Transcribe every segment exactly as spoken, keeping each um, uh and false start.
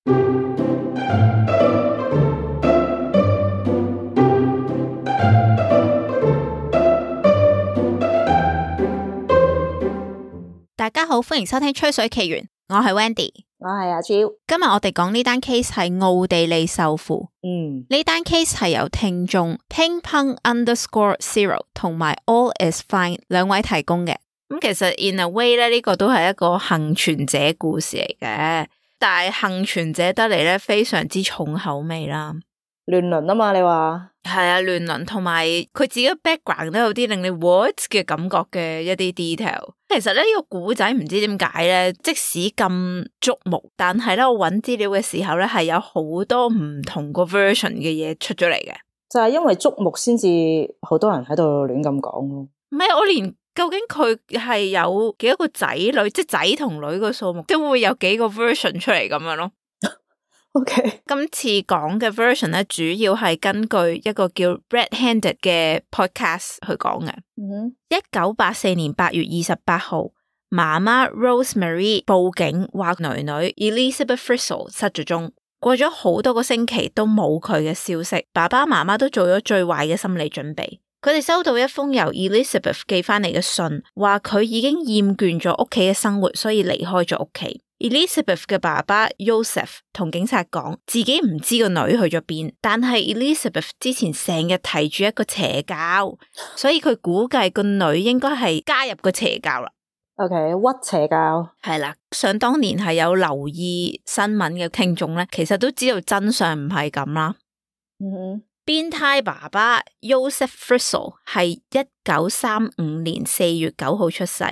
大家好，歡迎收聽吹水奇緣，我係 Wendy， 我係阿 J。今日我哋講呢單 case 係奧地利獸父。嗯，呢單 case 係由聽眾 Ping Pong Underscore Zero 同埋 All Is Fine 兩位提供嘅。咁其實 in a way 咧，呢個都係一個幸存者故事嚟嘅，但係幸存者得嚟咧非常之重口味啦。亂倫啊嘛，你話係啊，亂倫同埋佢自己嘅 background 都有啲令你 what 嘅感覺嘅一啲 detail。其實咧呢、這個古仔唔知點解咧，即使咁觸目，但係咧我揾資料嘅時候咧係有好多唔同個 version 嘅嘢出咗嚟嘅。就係因為觸目先至好多人喺度亂咁講咯。唔係，我連究竟佢係有幾多個仔女，即係仔同女個數目，都會有幾個 version 出嚟咁樣咯。OK， 今次講嘅 version 咧，主要係根據一個叫 Red Handed 嘅 podcast 去講嘅。嗯，一九八四年八月二十八號，媽媽 Rosemary 報警話女女 Elizabeth Fritzl 失咗蹤。過咗好多個星期都冇佢嘅消息，爸爸媽媽都做咗最壞嘅心理準備。佢哋收到一封由 Elizabeth 寄翻嚟嘅信，話佢已經厭倦咗屋企嘅生活，所以離開咗屋企。Elizabeth 嘅爸爸 Joseph 同警察講，自己唔知個女去咗邊，但係 Elizabeth 之前成日提住一個邪教，所以佢估計個女應該係加入個邪教啦。OK， 屈邪教係啦，想當年係有留意新聞嘅聽眾咧，其實都知道真相唔係咁啦。嗯，變態爸爸 Joseph Fritzl 係一九三五年四月九號出世。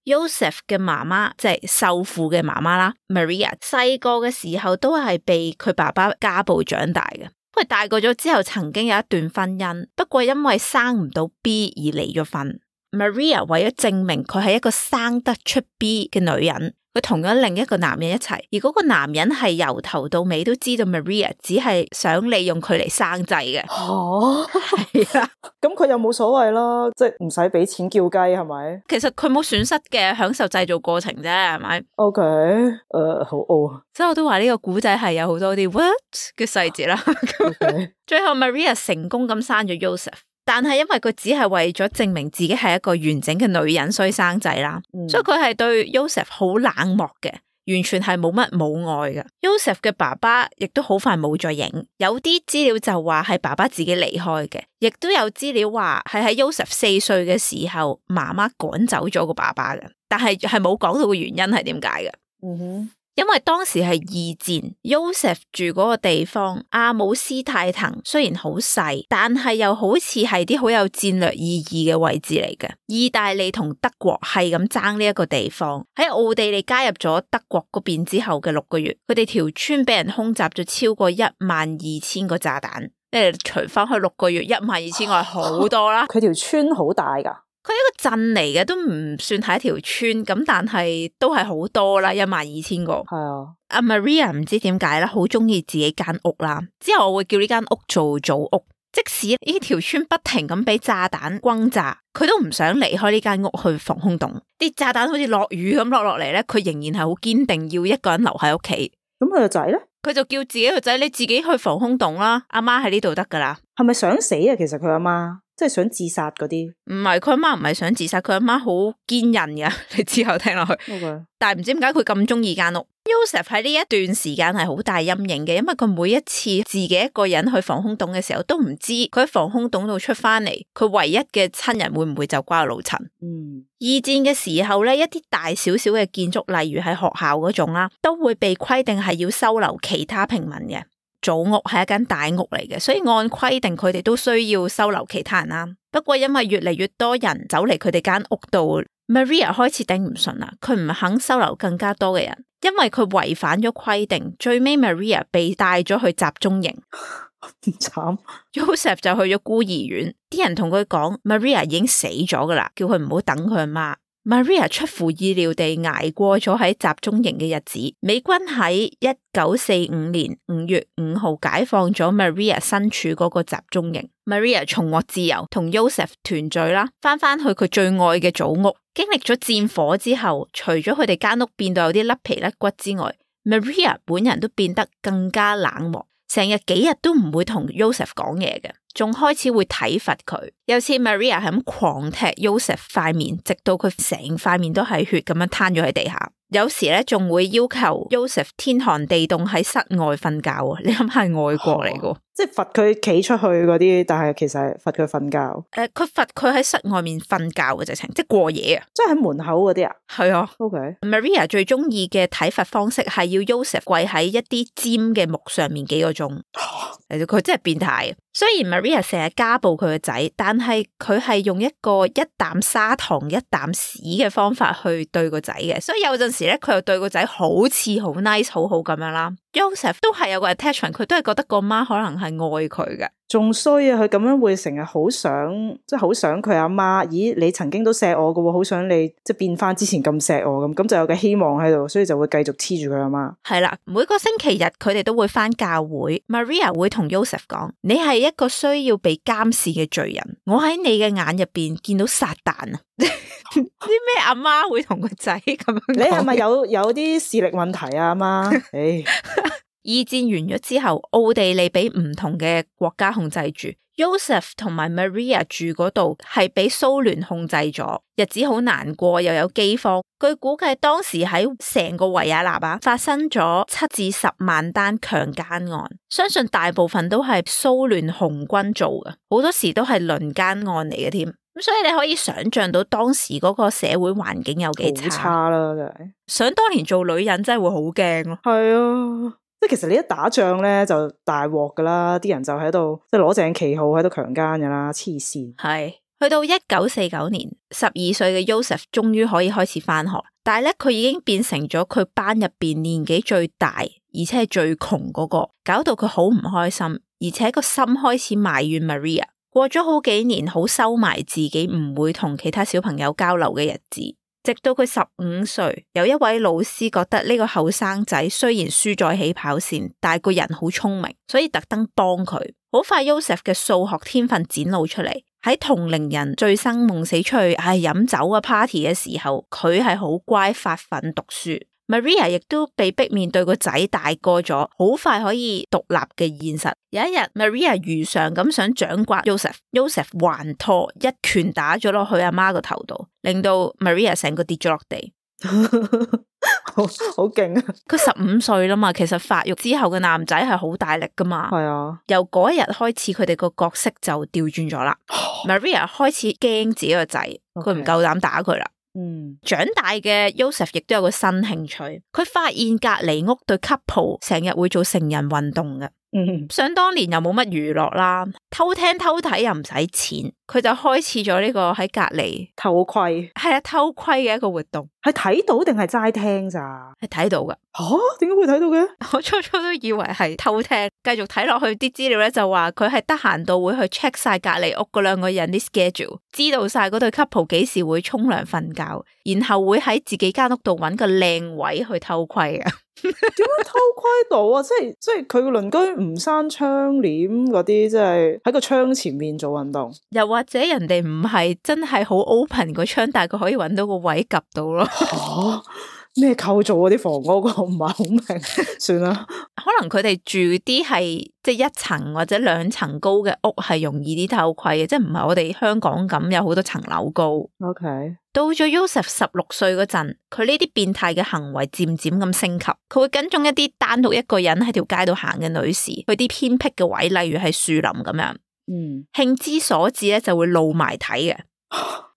Joseph 嘅媽媽即係獸父嘅媽媽啦 ，Maria 細個嘅時候都係被佢爸爸家暴長大嘅。佢大個咗之後，曾經有一段婚姻，不過因為生唔到 B 而離咗婚。Maria 為咗證明佢係一個生得出 B 嘅女人，佢同咗另一個男人一齊，而嗰個男人係由頭到尾都知道 Maria 只係想利用佢嚟生仔嘅。哦，係啊，咁佢又冇所謂啦，即係唔使俾錢叫雞係咪？其實佢冇損失嘅，享受製造過程啫，係咪 ？OK， 誒、uh, 好哦，所以我都話呢個古仔係有好多啲 what 嘅細節啦。Okay. 最後 Maria 成功咁生咗 Joseph。但係因為佢只係為咗證明自己係一個完整嘅女人，所以生仔啦，嗯、所以佢係對 Joseph 好冷漠嘅，完全係冇乜母愛嘅。Joseph 嘅爸爸亦都好快冇再影，有啲資料就話係爸爸自己離開嘅，亦都有資料話係喺 Joseph 四歲嘅時候，媽媽趕走咗個爸爸嘅，但係係冇講到個原因係點解嘅。嗯哼。因為當時係二戰 ，Joseph 住嗰個地方阿姆斯泰滕雖然好細，但係又好似係啲好有戰略意義嘅位置嚟嘅。意大利同德國係咁爭呢一個地方。喺奧地利加入咗德國嗰邊之後嘅六個月，佢哋條村俾人空襲咗超過一萬二千個炸彈。誒，除翻去六個月一萬二千個係好多啦。佢條村好大噶。佢一個鎮嚟嘅，都唔算係一條村咁，但係都係好多啦，一萬二千個。係啊，阿 Maria 唔知點解啦，好中意自己間屋啦。之後我會叫呢間屋做祖屋，即使呢條村不停咁俾炸彈轟炸，佢都唔想離開呢間屋去防空洞。啲炸彈好似落雨咁落落嚟咧，佢仍然係好堅定要一個人留喺屋企。咁佢個仔咧？佢就叫自己個仔，你自己去防空洞啦，阿媽喺呢度得噶啦。係咪想死啊？其實佢阿媽即係想自殺嗰啲？唔係，佢阿媽唔係想自殺，佢阿媽好堅韌噶。你之後聽落去，Okay. 但係唔知點解佢咁中意間屋。Joseph 喺呢一段時間係好大陰影嘅，因為佢每一次自己一個人去防空洞嘅時候，都唔知佢喺防空洞度出翻嚟，佢唯一嘅親人會唔會就瓜老陳。嗯，二戰嘅時候咧，一啲大小小嘅建築，例如喺學校嗰種啦，都會被規定係要收留其他平民嘅。祖屋係一間大屋嚟嘅，所以按規定佢哋都需要收留其他人啦。不過因為越嚟越多人走嚟佢哋間屋度， Maria 開始頂唔順啦，佢唔肯收留更加多嘅人，因為佢違反咗規定。最尾 Maria 被帶咗去集中營，唔慘。Joseph 就去咗孤兒院，啲人同佢講 Maria 已經死咗噶啦，叫佢唔好等佢阿媽。Maria 出乎意料地捱過咗喺集中營嘅日子。美軍喺一九四五年五月五號解放咗 Maria 身處嗰個集中營。Maria 重獲自由，同 Joseph 團聚啦，翻翻去佢最愛嘅祖屋。經歷咗戰火之後，除咗佢哋間屋變到有啲甩皮甩骨之外， Maria 本人都變得更加冷漠，成日幾日都唔會同 Joseph 講嘢嘅，仲開始會體罰佢。有次 Maria 係咁狂踢 Joseph 塊面，直到佢成塊面都係血咁樣攤咗喺地下。有時咧仲會要求 Joseph 天寒地凍喺室外瞓覺啊！你諗下係外國嚟嘅、哦，即係罰佢企出去嗰啲，但係其實係罰佢瞓覺。誒、呃，佢罰佢喺室外面瞓覺嘅直情，即係過夜啊！即係喺門口嗰啲啊？係啊。OK。Maria 最中意嘅體罰方式係要 Joseph 跪喺一啲尖嘅木上面幾個鐘。佢真係變態。雖然 Maria 成日家暴佢個仔，但係佢係用一個一啖砂糖一啖屎嘅方法去對個仔嘅，所以有陣時咧佢又對個仔好似好 nice 好好咁樣啦。Joseph 都係有個 attachment， 佢都係覺得個媽可能係愛佢嘅。仲衰啊！佢咁樣會成日好想，即係好想佢阿媽。咦，你曾經都錫我㗎，好想你即係變翻之前咁錫我咁，咁就有個希望喺度，所以就會繼續黐住佢阿媽。係啦，每個星期日佢哋都會翻教會。Maria 會同 Joseph 講：你係一個需要被監視嘅罪人，我喺你嘅眼入邊見到撒旦啊！啲咩阿媽會同個仔咁樣講？你係咪有有啲視力問題啊？阿媽，誒。二戰完咗之後，奧地利俾唔同嘅國家控制住 ，Joseph 同埋 Maria 住嗰度係俾蘇聯控制咗，日子好難過，又有饑荒。據估計當時喺成個維也納啊發生咗七至十萬單強姦案，相信大部分都係蘇聯紅軍做嘅，好多時都係輪姦案嚟嘅添。咁所以你可以想象到當時嗰個社會環境有幾差。好差啦，真係。想當年做女人真係會好驚咯。係啊。即係其實你一打仗咧就大鑊噶啦，啲人就喺度即係攞正旗號喺度強姦噶啦，黐線。係去到一九四九年，十二歲嘅 Joseph 終於可以開始翻學，但係咧佢已經變成咗佢班入邊年紀最大，而且係最窮嗰個，搞到佢好唔開心，而且個心開始埋怨 Maria。過咗好幾年，好收埋自己，唔會同其他小朋友交流嘅日子。直到佢十五歲，有一位老師覺得呢個後生仔雖然輸在起跑線，但係個人好聰明，所以特登幫佢。好快 Joseph 嘅數學天分展露出嚟，喺同齡人醉生夢死出去唉飲酒啊 party 嘅時候，佢係好乖發奮讀書。Maria 亦都被逼面對個仔大個咗，好快可以獨立嘅現實。有一日 Maria 如常咁想掌摑 Joseph，Joseph 還拖一拳打咗落去阿媽個頭度，令到 Maria 成個跌咗落地。好好勁啊！佢十五歲啦嘛，其實發育之後嘅男仔係好大力噶嘛。係啊，由嗰一日開始，佢哋個角色就調轉咗啦。Maria 開始驚自己個仔，佢唔夠膽打佢啦。嗯，長大嘅 Joseph 亦都有個新興趣，佢發現隔籬屋對 couple 成日會做成人運動嘅。嗯，想當年又冇乜娛樂啦，偷聽偷睇又唔使錢，佢就開始咗呢個喺隔籬偷窺，係啊偷窺嘅一個活動。係睇到定係齋聽咋？係睇到噶。吓，點解會睇到嘅？我初初都以為係偷聽，繼續睇落去啲資料咧就話佢係得閒到會去 check 晒隔籬屋嗰兩個人啲 schedule， 知道晒嗰對 couple 幾時會沖涼瞓覺，然後會喺自己間屋度搵個靚位去偷窺啊。點樣偷窺到啊？即係即係佢個鄰居唔閂窗簾嗰啲，即係喺個窗前面做運動。又或者人哋唔係真係好 open 個窗，但係佢可以搵到個位及到咯。吓，咩構造嗰啲房屋，我唔係好明。算啦，可能佢哋住啲係即係一層或者兩層高嘅屋，係容易啲偷窺嘅，即係唔係我哋香港咁有好多層樓高。OK。到咗 Joseph 十六歲嗰陣，佢呢啲變態嘅行為漸漸咁升級，佢會跟蹤一啲單獨一個人喺條街度行嘅女士，去啲偏僻嘅位，例如係樹林咁樣。嗯，興之所至咧，就會露埋睇嘅。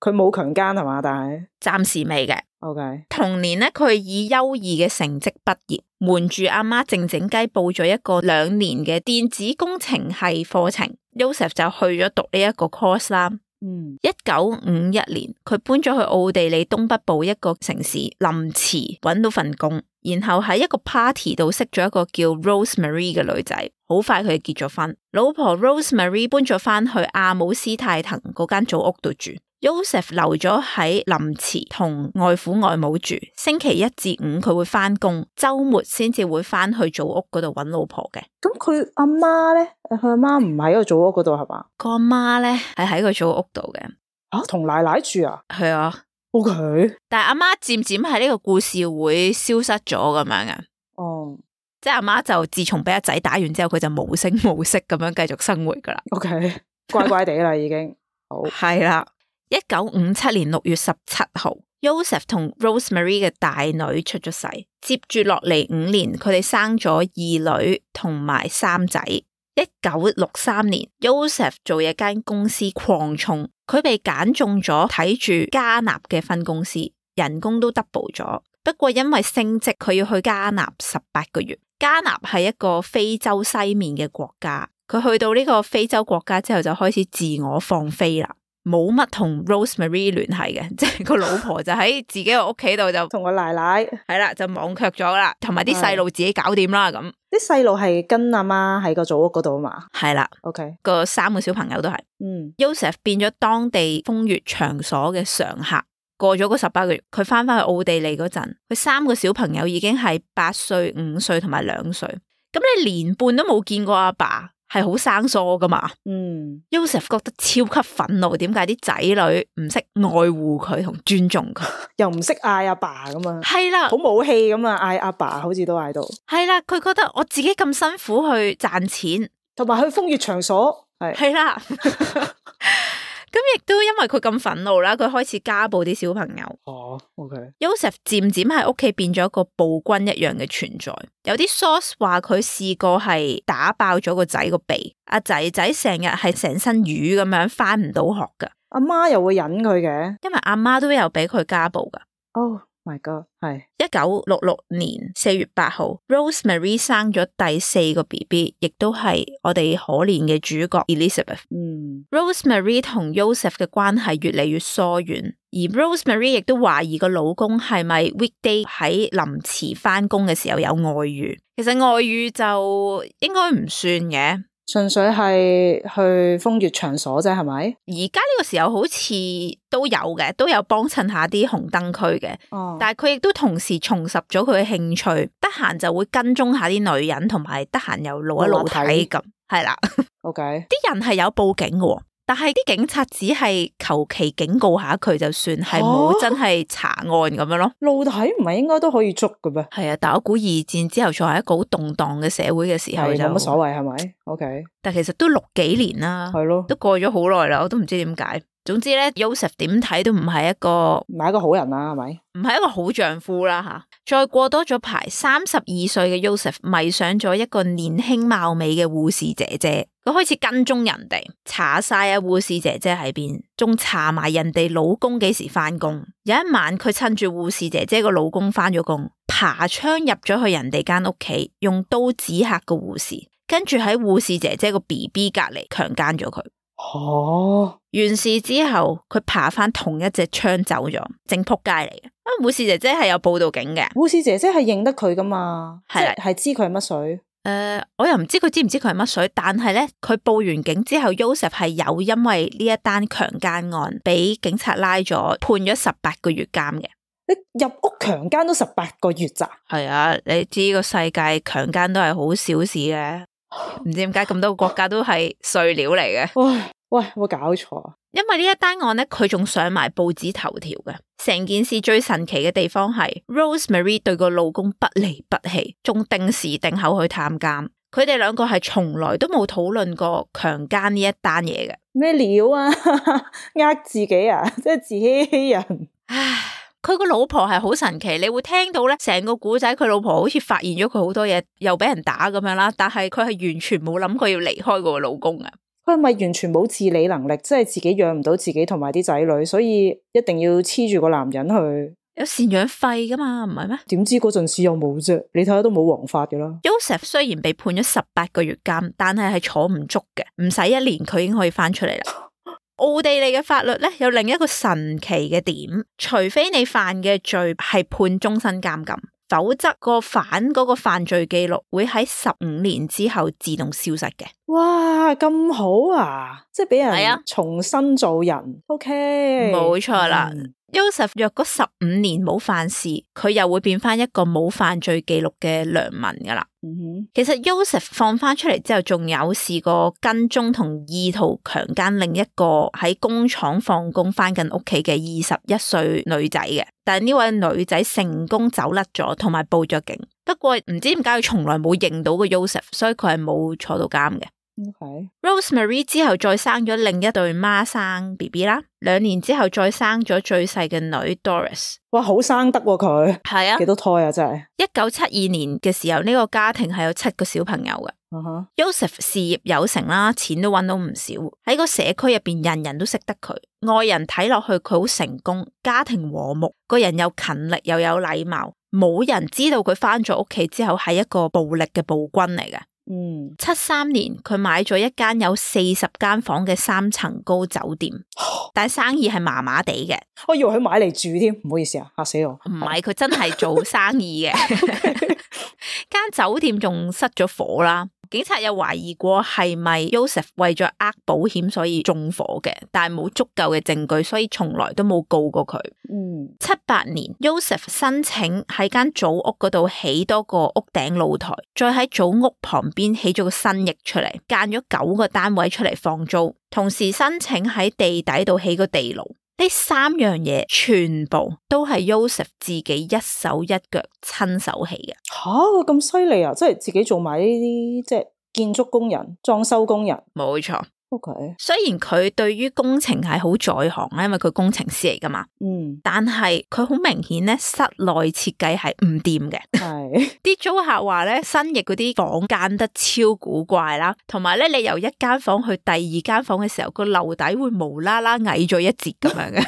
佢冇強姦係嘛？但係暫時未嘅。OK。同年咧，佢以優異嘅成績畢業，瞞住阿媽靜靜雞報咗一個兩年嘅電子工程系課程。Joseph 就去咗讀呢一個 course 啦。嗯，一九五一年，佢搬咗去奧地利東北部一個城市林茨，搵到份工，然後喺一個 party 度識咗一個叫 Rosemary 嘅女仔，好快佢就結咗婚。老婆 Rosemary 搬咗翻去阿姆斯泰滕嗰間祖屋度住。Joseph 留咗喺林茨同外父外母住，星期一至五佢會翻工，周末先至會翻去祖屋嗰度搵老婆嘅。咁佢阿媽咧，佢阿媽唔喺個祖屋嗰度係嘛？個阿媽咧係喺個祖屋度嘅。啊，同奶奶住啊？係啊。OK。但係阿媽漸漸喺呢個故事會消失咗咁樣嘅。哦，即係阿媽就自從俾阿仔打完之後，佢就無聲無息咁樣繼續生活噶啦。OK， 乖乖地啦已經。好，係啦。一九五七年六月十七號 Joseph 同 Rosemary 嘅大女出咗世，接住落嚟五年，佢哋生咗二女同埋三仔。一九六三年 Joseph 做嘢間公司擴充，佢被揀中咗睇住加納嘅分公司，人工都 double 咗。不過因為升職，佢要去加納十八個月。加納係一個非洲西面嘅國家，佢去到呢個非洲國家之後就開始自我放飛啦。冇乜同 Rosemary 聯繫嘅，即係個老婆就喺自己個屋企度就同個奶奶係啦，就忘卻咗啦，同埋啲細路自己搞掂啦咁。啲細路係跟阿媽喺個祖屋嗰度啊嘛。係啦 ，OK， 個三個小朋友都係。嗯 Joseph 變咗當地風月場所嘅常客。過咗嗰十八個月，佢翻返去奧地利嗰陣，佢三個小朋友已經係八歲、五歲同埋兩歲。咁你年半都冇見過阿爸，係好生疏噶嘛？嗯 Joseph 覺得超級憤怒，點解啲仔女唔識愛護佢同尊重佢，又唔識嗌阿爸咁啊？係啦，好冇氣咁啊！嗌阿爸好似都嗌到。係啦，佢覺得我自己咁辛苦去賺錢，同埋去風月場所，係係啦。咁亦都因為佢咁憤怒啦，佢開始家暴啲小朋友。哦 ，OK。Joseph 漸漸喺屋企變咗一個暴君一樣嘅存在。有啲 source 話佢試過係打爆咗個仔個鼻，阿仔仔成日係成身瘀咁樣翻唔到學噶。阿媽又會忍佢嘅，因為阿媽都有俾佢家暴噶。哦、oh、，My God， 係一九六六年四月八號 ，Rosemary 生咗第四個 B B， 亦都係我哋可憐嘅主角 Elizabeth。嗯 ，Rosemary 同 Joseph 嘅關係越嚟越疏遠，而 Rosemary 亦都懷疑個老公係咪 weekday 喺臨遲翻工嘅時候有外遇。其實外遇就應該唔算嘅。純粹係去風月場所啫，係咪？而家呢個時候好似都有嘅，都有幫襯下啲紅燈區嘅。哦，但係佢亦都同時重拾咗佢嘅興趣，得閒就會跟蹤下啲女人，同埋得閒又露一露體咁，係啦。OK，啲人係有報警嘅，但係啲警察只係求其警告下佢就算，係冇真係查案咁樣咯。露體唔係應該都可以捉嘅咩？係啊，但我估二戰之後仲係一個好動盪嘅社會嘅時候就冇乜所謂係咪 ？OK， 但其實都六幾年啦，係咯，都過咗好耐啦，我都唔知點解。總之咧 Joseph 點睇都唔係一個唔係一個好人啦，係咪？唔係一個好丈夫啦吓。再過多咗排，三十二歲嘅 Joseph 迷上咗一個年輕貌美嘅護士姐姐，佢開始跟蹤人哋，查晒啊護士姐姐喺邊，仲查埋人哋老公幾時翻工。有一晚，佢趁住護士姐姐個老公翻咗工，爬窗入咗去人哋間屋企，用刀指嚇個護士，跟住喺護士姐姐個 B B 隔籬強姦咗佢。哦，完事之後，佢爬翻同一隻窗走咗，正仆街嚟嘅。啊，護士姐姐係有報到警嘅，護士姐姐係認得佢噶嘛？係啦，係知佢係乜水？誒、呃，我又唔知佢知唔知佢係乜水，但係咧，佢報完警之後 Joseph 係有因為呢一單強姦案俾警察拉咗，判咗十八個月監嘅。你入屋強姦都十八個月咋？係啊，你知個世界強姦都係好小事嘅。唔知點解咁多個國家都係碎料嚟嘅。喂喂，有冇搞錯啊？因為呢一單案咧，佢仲上埋報紙頭條嘅。成件事最神奇嘅地方係 Rosemary 對個老公不離不棄，仲定時定候去探監。佢哋兩個係從來都冇討論過強姦呢一單嘢嘅。咩料啊？呃自己啊？即係自欺欺人。唉，佢個老婆係好神奇，你會聽到咧，成個古仔佢老婆好似發現咗佢好多嘢，又俾人打咁樣啦。但係佢係完全冇諗過要離開個老公啊。佢係咪完全冇自理能力，即係自己養唔到自己同埋啲仔女，所以一定要黐住個男人去？有贍養費噶嘛，唔係咩？點知嗰陣時又冇啫？你睇下都冇王法噶啦。Joseph 雖然被判咗十八個月監，但係係坐唔足嘅，唔使一年佢已經可以翻出嚟啦。奧地利嘅法律咧有另一個神奇嘅點，除非你犯嘅罪係判終身監禁，否則個犯嗰個犯罪記錄會喺十五年之後自動消失嘅。哇，咁好啊！即係俾人係啊，重新做人。OK，冇錯啦。嗯Joseph 若果十五年冇犯事，佢又會變翻一個冇犯罪記錄嘅良民噶啦。嗯哼，其實 Joseph 放翻出嚟之後，仲有試過跟蹤同意圖強姦另一個喺工廠放工翻緊屋企嘅二十一歲女仔嘅。但係呢位女仔成功走甩咗，同埋報咗警。不過唔知點解佢從來冇認到個 Joseph， 所以佢係冇坐到監嘅。Okay. Rosemary 之後再生咗另一對孖生 B B 啦，兩年之後再生咗最細嘅女 Doris。哇，好生得喎佢，係啊，幾多胎啊真係。一九七二年嘅時候，呢、這個家庭係有七個小朋友嘅。Uh-huh. Joseph 事業有成啦，錢都搵到唔少，喺個社區入邊人人都識得佢，外人睇落去佢好成功，家庭和睦，個人又勤力又有禮貌，冇人知道佢返咗屋企之後係一個暴力嘅暴君嚟嘅。嗯，七三年佢買咗一間有四十間房嘅三層高酒店，但係生意係麻麻地嘅。我以為佢買嚟住添，唔好意思啊，嚇死我。唔係，佢真係做生意嘅。間酒店仲失咗火啦，警察有懷疑過係咪 Joseph 為咗呃保險所以縱火嘅，但係冇足夠嘅證據，所以從來都冇告過佢。嗯，七八年 Joseph 申請喺間祖屋嗰度起多個屋頂露台，再喺祖屋旁邊起咗個新翼出嚟，間咗九個單位出嚟放租，同時申請喺地底度起個地牢。呢三樣嘢全部都係 Joseph 自己一手一腳親手起嘅。吓，佢咁犀利啊！即係自己做埋呢啲即係建築工人、裝修工人。冇錯。OK，雖然佢對於工程係好在行咧，因為佢工程師嚟噶嘛。嗯，但係佢好明顯咧，室內設計係唔掂嘅。係啲租客話咧，新翼嗰啲房間得超古怪啦，同埋咧，你由一間房去第二間房嘅時候，個樓底會無啦啦矮咗一截咁樣嘅。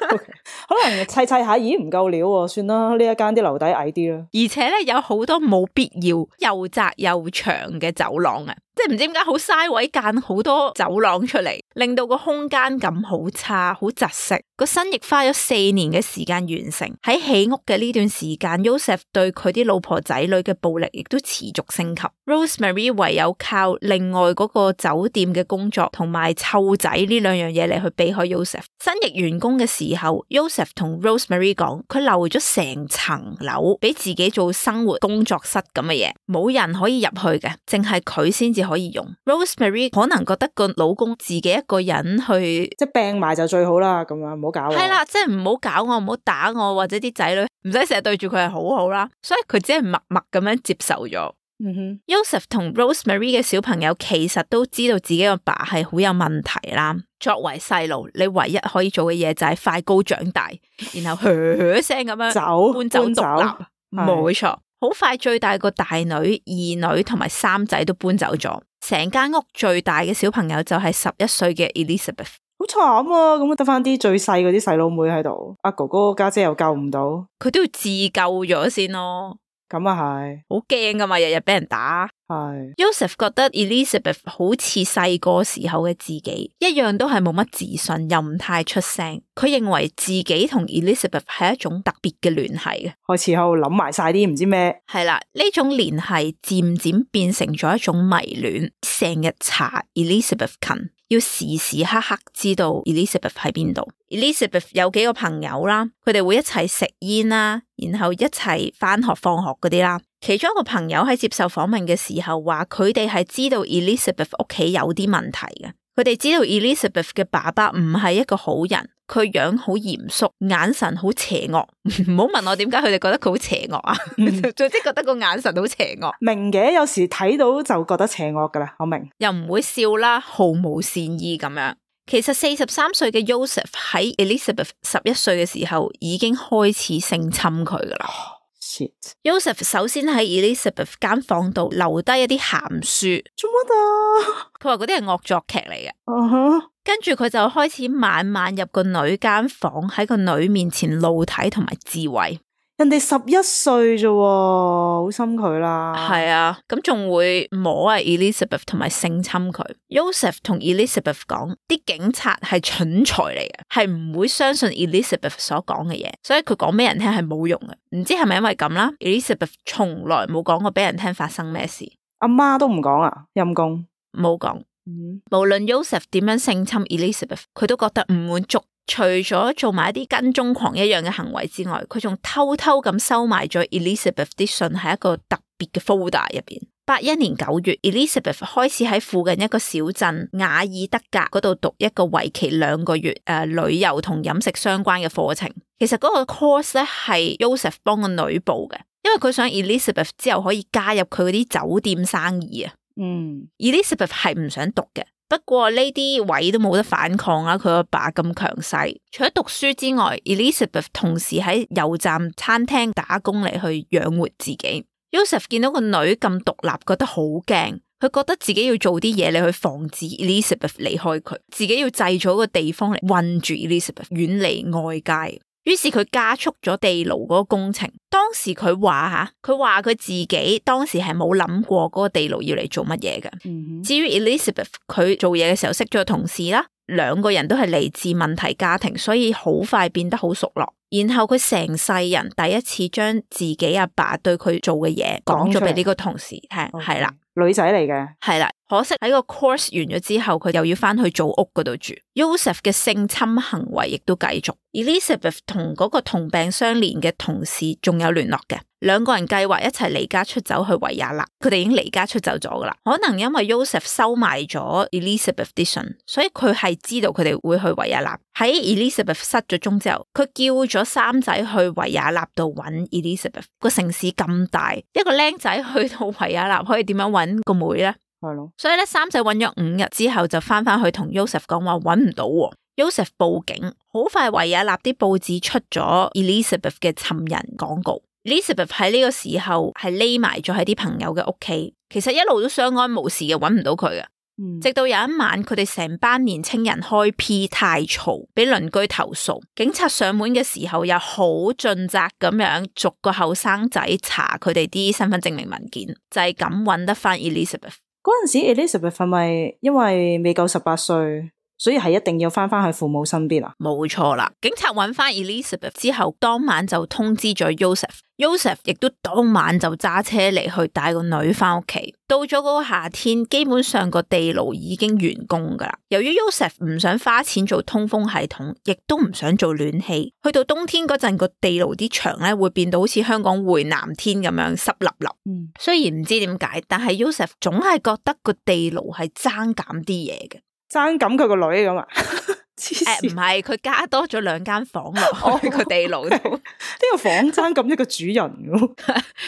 okay. 可能砌砌下，咦唔夠料喎，算啦，呢一間啲樓底矮啲啦。而且咧，有好多冇必要又窄又長嘅走廊啊！即係唔知點解好嘥位間好多走廊出嚟，令到個空間感好差，好窒息。個新翼花咗四年嘅時間完成，喺起屋嘅呢段時間 Joseph 對佢啲老婆仔女嘅暴力亦都持續升級。Rosemary 唯有靠另外嗰個酒店嘅工作同埋湊仔呢兩樣嘢嚟去避開 Joseph。新翼完工嘅時候 Joseph 同 Rosemary 講，佢留咗成層樓俾自己做生活工作室咁嘅嘢，冇人可以入去嘅，淨係佢先至可以用。Rosemary 可能覺得個老公自己一個人去，即係病埋就最好啦，咁樣唔好搞我。係啦，即係唔好搞我，唔好打我，或者啲仔女唔使成日對住佢係好好啦，所以佢只係默默咁樣接受咗。嗯哼 Joseph 同 Rosemary 嘅小朋友其實都知道自己個爸係好有問題啦。作為細路，你唯一可以做嘅嘢就係快高長大，然後噓噓聲咁樣走搬走獨立。冇錯，好快最大個大女、二女同埋三仔都搬走咗，成間屋最大嘅小朋友就係十一歲嘅 Elizabeth。好慘啊！咁得翻啲最細嗰啲細佬妹喺度，阿哥哥家姐又救唔到，佢都要自救咗先咯。咁啊係，好驚噶嘛，日日俾人打。係 Joseph 覺得 Elizabeth 好似細個時候嘅自己，一樣都係冇乜自信，又唔太出聲。佢認為自己同 Elizabeth 係一種特別嘅聯繫嘅，開始喺度諗埋晒啲唔知咩。係啦，呢種聯繫漸漸變成咗一種迷戀，成日查 Elizabeth 近，要時時刻刻知道 Elizabeth 喺邊度。Elizabeth 有幾個朋友啦，佢哋會一齊食煙啦，然後一齊返學放學嗰啲啦。其中一個朋友喺接受訪問嘅時候話，佢哋係知道 Elizabeth 屋企有啲問題嘅。佢哋知道 Elizabeth 嘅爸爸唔係一個好人，佢樣好嚴肅，眼神好邪惡。唔好問我點解佢哋覺得佢好邪惡啊？總之覺得個眼神好邪惡。明嘅，有時睇到就覺得邪惡噶啦，我明。又唔會笑啦，毫無善意咁樣。其實四十三歲嘅 Joseph 喺 Elizabeth 十一歲嘅時候已經開始性侵佢噶啦。Shit. Joseph 首先喺 Elizabeth 間房度留低一啲鹹書，做乜啊？佢話嗰啲係惡作劇嚟嘅。嗯哼。跟住佢就開始晚晚入個女間房，喺個女面前露體同埋自慰。人哋十一歲啫，好心佢啦。係啊，咁仲會摸啊 Elizabeth 同埋性侵佢。Joseph 同 Elizabeth 講，啲警察係蠢材嚟嘅，係唔會相信 Elizabeth 所講嘅嘢，所以佢講俾人聽係冇用嘅。唔知係咪因為咁啦 ？Elizabeth 從來冇講過俾人聽發生咩事，阿媽都唔講啊，陰公冇講。嗯、無論 Joseph 點樣性侵 Elizabeth， 佢都覺得唔滿足。除咗做埋一啲跟蹤狂一樣嘅行為之外，佢仲偷偷咁收埋咗 Elizabeth 啲信喺一個特別嘅 folder 入邊。八一年九月 ，Elizabeth 開始喺附近一個小鎮雅爾德格嗰度讀一個為期兩個月誒、呃、旅遊同飲食相關嘅課程。其實嗰個 course 咧係 Joseph 幫個女報嘅，因為佢想 Elizabeth 之後可以加入佢嗰啲酒店生意啊。嗯 Elizabeth 係唔想讀嘅，不過呢啲位都冇得反抗啦，佢阿爸咁強勢。除咗讀書之外 ，Elizabeth 同時喺油站餐廳打工嚟去養活自己。Joseph 見到個女咁獨立，覺得好驚，佢覺得自己要做啲嘢嚟去防止 Elizabeth 離開佢，自己要製造一個地方嚟困住 Elizabeth，遠離外界。於是佢加速咗地牢嗰個工程。當時佢話吓，佢話佢自己當時係冇諗過嗰個地牢要嚟做乜嘢嘅。嗯、至於 Elizabeth，佢做嘢嘅時候識咗個同事啦，兩個人都係嚟自問題家庭，所以好快變得好熟絡。然後佢成世人第一次將自己阿爸對佢做嘅嘢講咗俾呢個同事聽，係啦，女仔嚟嘅，係啦。可惜喺個 course 完咗之後，佢又要翻去組屋嗰度住。Joseph 嘅性侵行為亦都繼續。Elizabeth 同嗰個同病相憐嘅同事仲有聯絡嘅，兩個人計劃一齊離家出走去維也納。佢哋已經離家出走咗噶啦。可能因為 Joseph 收埋咗 Elizabeth 啲信，所以佢係知道佢哋會去維也納。喺 Elizabeth 失咗蹤之後，佢叫咗三仔去維也納度揾 Elizabeth。個城市咁大，一個僆仔去到維也納可以點樣揾個妹呢？係咯，所以咧，三仔揾咗五日之後就翻翻去同 Joseph 講話揾唔到喎。Joseph 報警，好快維也納啲報紙出咗 Elizabeth 嘅尋人廣告。Elizabeth 喺呢個時候係匿埋咗喺啲朋友嘅屋企，其實一路都相安無事嘅，揾唔到佢嘅。嗯、直到有一晚，佢哋成班年青人開 P 太嘈，俾鄰居投訴。警察上門嘅時候，又好盡責咁樣逐個後生仔查佢哋啲身份證明文件，就係咁揾得翻 Elizabeth。嗰陣時 Elizabeth 係咪因為未夠十八歲，所以係一定要翻翻去父母身邊啊？冇錯啦，警察揾翻 Elizabeth 之後，當晚就通知咗 Joseph，Joseph 亦都當晚就揸車嚟去帶個女翻屋企。到咗嗰個夏天，基本上個地牢已經完工噶啦。由於 Joseph 唔想花錢做通風系統，亦都唔想做暖氣，去到冬天嗰陣個地牢啲牆咧會變到好似香港回南天咁樣濕立立。嗯，雖然唔知點解，但係 Joseph 總係覺得個地牢係爭減啲嘢嘅。爭咁佢個女咁啊？誒，唔係，佢加多咗兩間房落去個地牢度。呢個房爭咁一個主人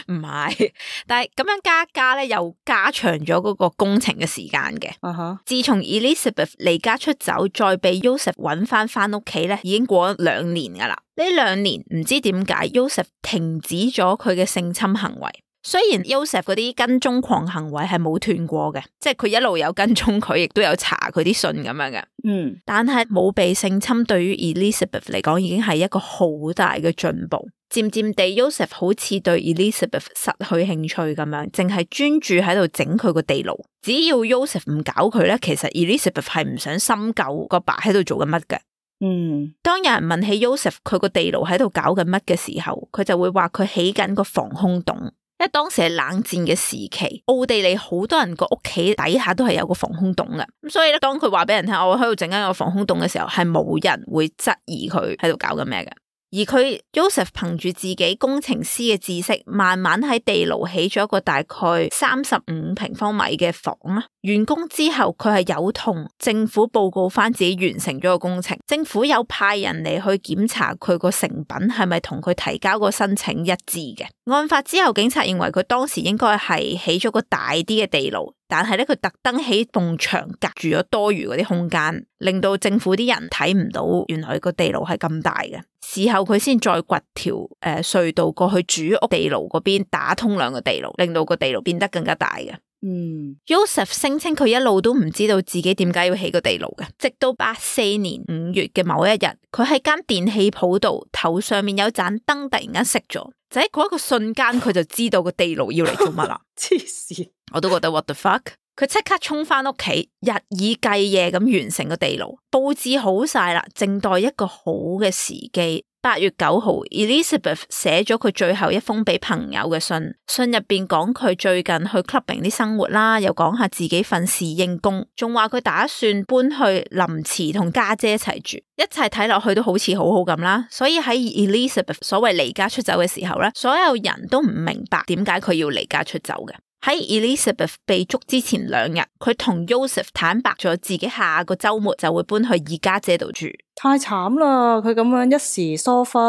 唔係，但係咁樣加加咧，又加長咗嗰個工程嘅時間嘅。Uh huh. 自從 Elizabeth 離家出走，再被 Joseph 揾翻翻屋企咧，已經過咗兩年噶啦。呢兩年唔知點解 Joseph 停止咗佢嘅性侵行為。雖然 Joseph 嗰啲跟蹤狂行為係冇斷過嘅，即係佢一路有跟蹤佢，亦都有查佢啲信咁樣嘅。嗯，但係冇被性侵對於 Elizabeth 嚟講已經係一個好大嘅進步。漸漸地 Joseph 好似對 Elizabeth 失去興趣咁樣，淨係專注喺度整佢個地牢。只要 Joseph 唔搞佢咧，其實 Elizabeth 係唔想深究個爸喺度做緊乜嘅。嗯，當有人問起 Joseph 佢個地牢喺度搞緊乜嘅時候，佢就會話佢起緊個防空洞。因為當時係冷戰嘅時期，奧地利好多人個屋企底下都係有個防空洞嘅，咁所以咧，當佢話俾人聽我喺度整緊個防空洞嘅時候，係冇人會質疑佢喺度搞緊咩嘅。而佢 Joseph 憑住自己工程師嘅知識，慢慢喺地牢起咗一個大概三十五平方米嘅房啦。完工之後，佢係有同政府報告翻自己完成咗個工程，政府有派人嚟去檢查佢個成品係咪同佢提交個申請一致嘅。案發之後，警察認為佢當時應該係起咗個大啲嘅地牢，但係咧佢特登起埲牆隔住咗多餘嗰啲空間，令到政府啲人睇唔到原來個地牢係咁大嘅。事後佢先再掘條誒隧道過去主屋地牢嗰邊，打通兩個地牢，令到個地牢變得更加大嘅。嗯 Joseph 聲稱佢一路都唔知道自己點解要起個地牢嘅，直到八四年五月嘅某一日，佢喺間電器鋪度頭上面有盞燈突然間熄咗，就喺嗰一個瞬間佢就知道個地牢要嚟做乜啦。黐線，我都覺得 what the fuck。佢即刻衝翻屋企，日以繼夜咁完成個地牢，佈置好晒啦，靜待一個好嘅時機。八月九號 Elizabeth 寫咗佢最後一封俾朋友嘅信，信入邊講佢最近去 clubbing 啲生活啦，又講下自己份侍應工，仲話佢打算搬去林茨同家姐一齊住，一切睇落去都好似好好咁啦。所以喺 Elizabeth 所謂離家出走嘅時候咧，所有人都唔明白點解佢要離家出走嘅。喺 Elizabeth 被捉之前兩日，佢同 Joseph 坦白咗自己下個週末就會搬去二家姐度住。太慘啦！佢咁樣一時疏忽，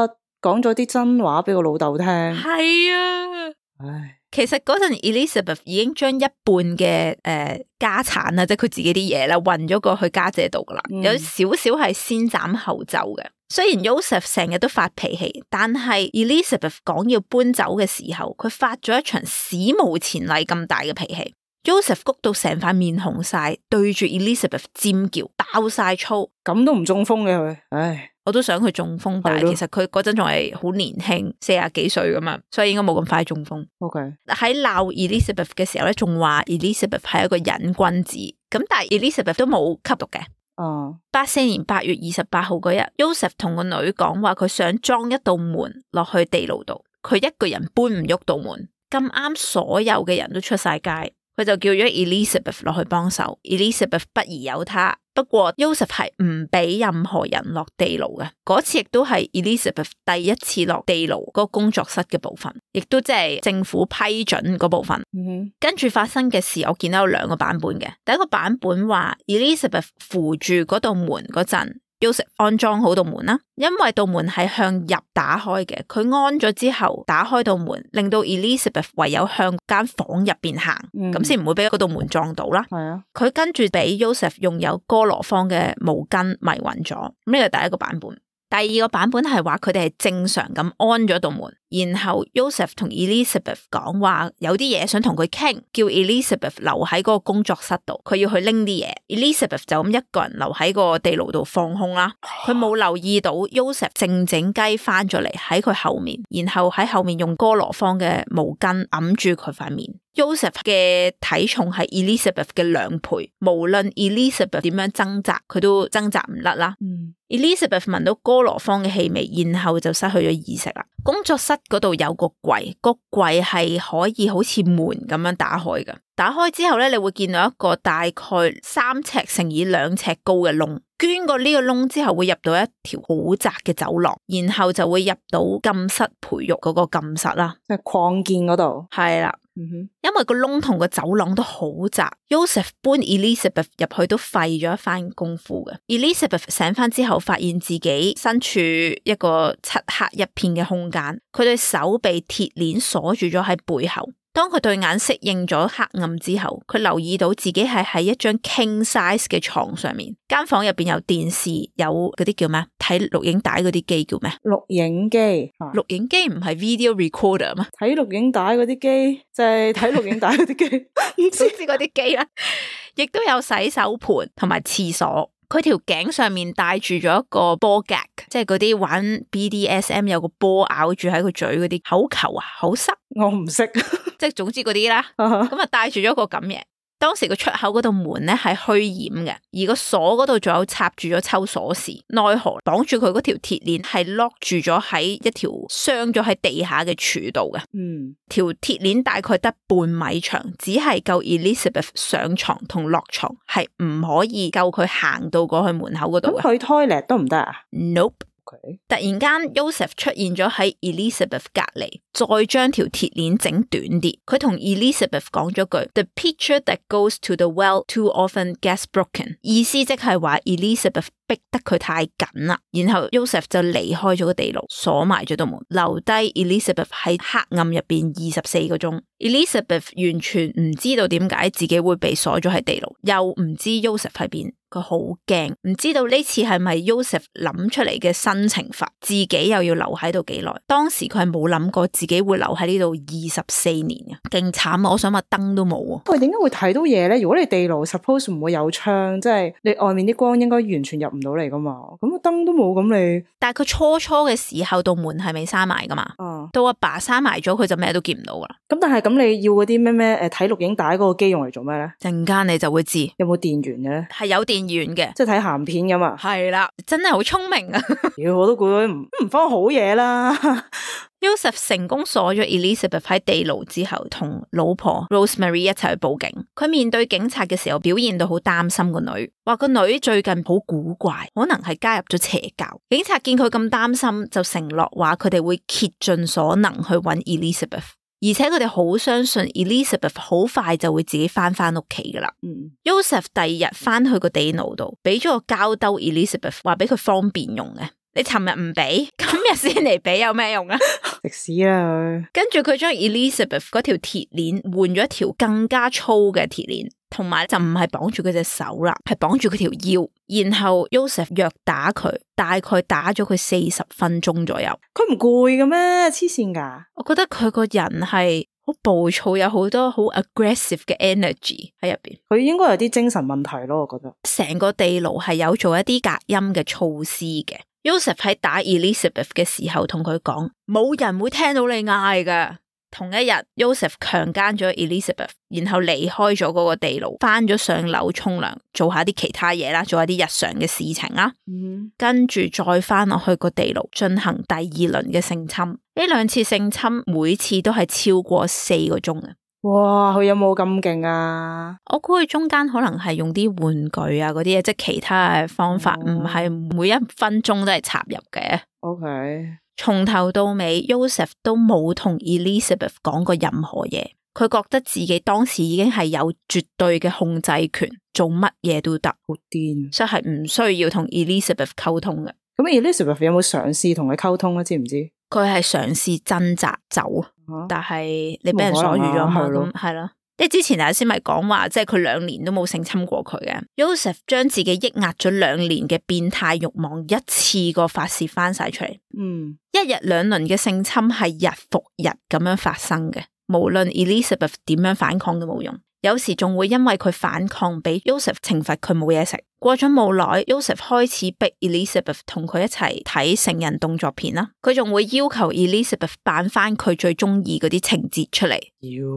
講咗啲真話俾個老豆聽。係啊，唉，其實嗰陣 Elizabeth 已經將一半嘅誒、呃、家產啊，即係佢自己啲嘢啦，運咗過去家姐度噶啦，嗯、有少少係先斬後奏嘅。雖然 Joseph 成日都發脾氣，但係 Elizabeth 講要搬走嘅時候，佢發咗一場史無前例咁大嘅脾氣。Joseph 谷到成塊面紅晒，對住 Elizabeth 尖叫，爆晒粗，咁都唔中風嘅佢。唉，我都想佢中風，但係其實佢嗰陣仲係好年輕，四十幾歲噶嘛，所以應該冇咁快中風。OK， 喺鬧 Elizabeth 嘅時候咧，仲話 Elizabeth 係一個癮君子，咁但係 Elizabeth 都冇吸毒嘅。哦，八四年八月二十八號嗰日 Joseph 同個女講話，佢想裝一道門落去地牢度，佢一個人搬唔喐道門，咁啱所有嘅人都出晒街，佢就叫咗 Elizabeth 落去幫手。Elizabeth 不疑有他，不過 Joseph 係唔俾任何人落地牢嘅。嗰次亦都係 Elizabeth 第一次落地牢嗰個工作室嘅部分，亦都即係政府批准嗰部分。嗯哼，跟住發生嘅事，我見到有兩個版本嘅。第一個版本話 Elizabeth 扶住嗰道門嗰陣，Joseph 安裝好道門啦，因為道門係向入打開嘅，佢安咗之後打開道門，令到 Elizabeth 唯有向間房入邊行，咁先唔會俾嗰道門撞到啦。係啊，佢跟住俾 Joseph 用有哥羅芳嘅毛巾迷暈咗，呢個係第一個版本。第二個版本係話佢哋係正常咁安咗道門，然後 Joseph 同 Elizabeth 講話有啲嘢想同佢傾，叫 Elizabeth 留喺嗰個工作室度，佢要去拎啲嘢。Elizabeth 就咁一個人留喺個地牢度放空啦，佢冇留意到 Joseph 靜靜雞翻咗嚟喺佢後面，然後喺後面用哥羅芳嘅毛巾揞住佢塊面。Joseph 嘅體重係 Elizabeth 嘅兩倍，無論 Elizabeth 點樣掙扎，佢都掙扎唔甩啦。嗯、Elizabeth 聞到哥羅芳嘅氣味，然後就失去咗意識啦。工作室嗰度有個櫃，個櫃係可以好似門咁樣打開嘅。打開之後咧，你會見到一個大概三尺乘以兩尺高嘅窿。捐過呢個窿之後，會入到一條好窄嘅走廊，然後就會入到禁室培育嗰個禁室啦，即係擴建嗰度。係啦。嗯哼，因為個窿同個走廊都好窄 Joseph 搬 Elizabeth 入去都費咗一番功夫嘅。Elizabeth 醒翻之後，發現自己身處一個漆黑一片嘅空間，佢對手被鐵鏈鎖住咗喺背後。當佢對眼適應咗黑暗之後，佢留意到自己係喺一張 king size 嘅床上面，間房入邊有電視，有嗰啲叫咩？睇錄影帶嗰啲機叫咩？錄影機，錄影機唔係 video recorder 咩？睇錄影帶嗰啲機就係睇錄影帶嗰啲機，唔知知嗰啲機啦，亦都有洗手盆同埋廁所。佢條頸上面戴住咗一個波 gag， 即係嗰啲玩 B D S M 有個波咬住喺個嘴嗰啲口球啊，口塞。我唔識，即係總之嗰啲啦。咁啊，戴住咗個咁嘢。當時個出口嗰度門咧係虛掩嘅，而個鎖嗰度仲有插住咗抽鎖匙，奈何綁住佢嗰條鐵鏈係 lock 住咗喺一條鑲咗喺地下嘅柱度嘅。嗯，條鐵鏈大概得半米長，只係夠 Elizabeth 上床同落床，係唔可以夠佢行到過去門口嗰度嘅。咁去 toilet 都唔得啊 ？Nope。Okay. 突然間 Joseph 出現咗喺 Elizabeth 隔籬，再將條鐵鏈整短啲。佢同 Elizabeth 講咗句 The pitcher that goes to the well too often gets broken， 意思即係話 Elizabeth 逼得佢太緊啦。然後 Joseph 就離開咗個地牢，鎖埋咗道門，留低 Elizabeth 喺黑暗入邊二十四個鐘。Elizabeth 完全唔知道點解自己會被鎖咗喺地牢，又唔知 Joseph 喺邊。佢好驚，唔知道呢次係咪 Joseph 諗出嚟嘅新懲罰，自己又要留喺度幾耐？當時佢係冇諗過自己會留喺呢度二十四年嘅，勁慘啊！我想話燈都冇啊！喂，點解會睇到嘢咧？如果你地牢 suppose 唔會有窗，即係你外面啲光應該完全入唔到嚟噶嘛？咁個燈都冇，咁你但係佢初初嘅時候道門係未閂埋噶嘛？哦、嗯，到阿爸閂埋咗，佢就咩都見唔到噶啦。咁但係咁你要嗰啲咩咩誒睇錄影帶嗰個機用嚟做咩咧？陣間你就會知有冇電源嘅咧？係有電源嘅，即係睇鹹片噶嘛？係啦，真係好聰明啊！妖，我都估到唔唔方好嘢啦。Joseph 成功鎖咗 Elizabeth 喺地牢之後，同老婆 Rosemary 一齊去報警。佢面對警察嘅時候，表現到好擔心個女，話個女最近好古怪，可能係加入咗邪教。警察見佢咁擔心，就承諾話佢哋會竭盡所能去揾 Elizabeth。而且佢哋好相信 Elizabeth 好快就會自己翻翻屋企噶啦。嗯 Joseph 第二日翻去個地牢度，俾咗個膠兜 Elizabeth，話俾佢方便用嘅。你尋日唔俾，今日先嚟俾，有咩用啊？食屎啦佢！跟住佢將 Elizabeth 嗰條鐵鏈換咗一條更加粗嘅鐵鏈，同埋就唔係綁住佢隻手啦，係綁住佢條腰。然後 Joseph 虐打佢，大概打咗佢四十分鐘左右。佢唔攰嘅咩？黐線噶！我覺得佢個人係好暴躁，有好多好 aggressive 嘅 energy 喺入邊。佢應該有啲精神問題咯，我覺得。成個地牢係有做一啲隔音嘅措施嘅。Joseph 喺打 Elizabeth 嘅時候同佢講，冇人會聽到你嗌噶。同一日 Joseph 強姦咗 Elizabeth， 然後離開咗嗰個地牢，翻咗上樓沖涼，做下啲其他嘢啦，做下啲日常嘅事情啦。嗯，跟住再翻落去個地牢進行第二輪嘅性侵。呢兩次性侵每次都係超過四個鐘嘅。哇，佢有冇咁勁啊？我估佢中間可能係用啲玩具啊嗰啲嘢，即係其他嘅方法，唔係、哦、每一分鐘都係插入嘅。OK，從頭到尾 Joseph 都冇同 Elizabeth 講過任何嘢，佢覺得自己當時已經係有絕對嘅控制權，做乜嘢都得，好癲，所以係唔需要同 Elizabeth 溝通嘅。咁 Elizabeth 有冇嘗試同佢溝通咧？知唔知？佢係嘗試掙扎走，啊、但係你俾人鎖住咗嘛？咁係咯。即係之前頭先咪講話，即係佢兩年都冇性侵過佢嘅。Joseph 將自己抑壓咗兩年嘅變態慾望一次過發洩翻晒出嚟。嗯，一日兩輪嘅性侵係日復日咁樣發生嘅，無論 Elizabeth 點樣反抗都冇用。有時仲會因為佢反抗俾 Joseph 懲罰佢冇嘢食。過咗冇耐 Joseph 開始逼 Elizabeth 同佢一齊睇成人動作片啦。佢仲會要求 Elizabeth 扮翻佢最中意嗰啲情節出嚟。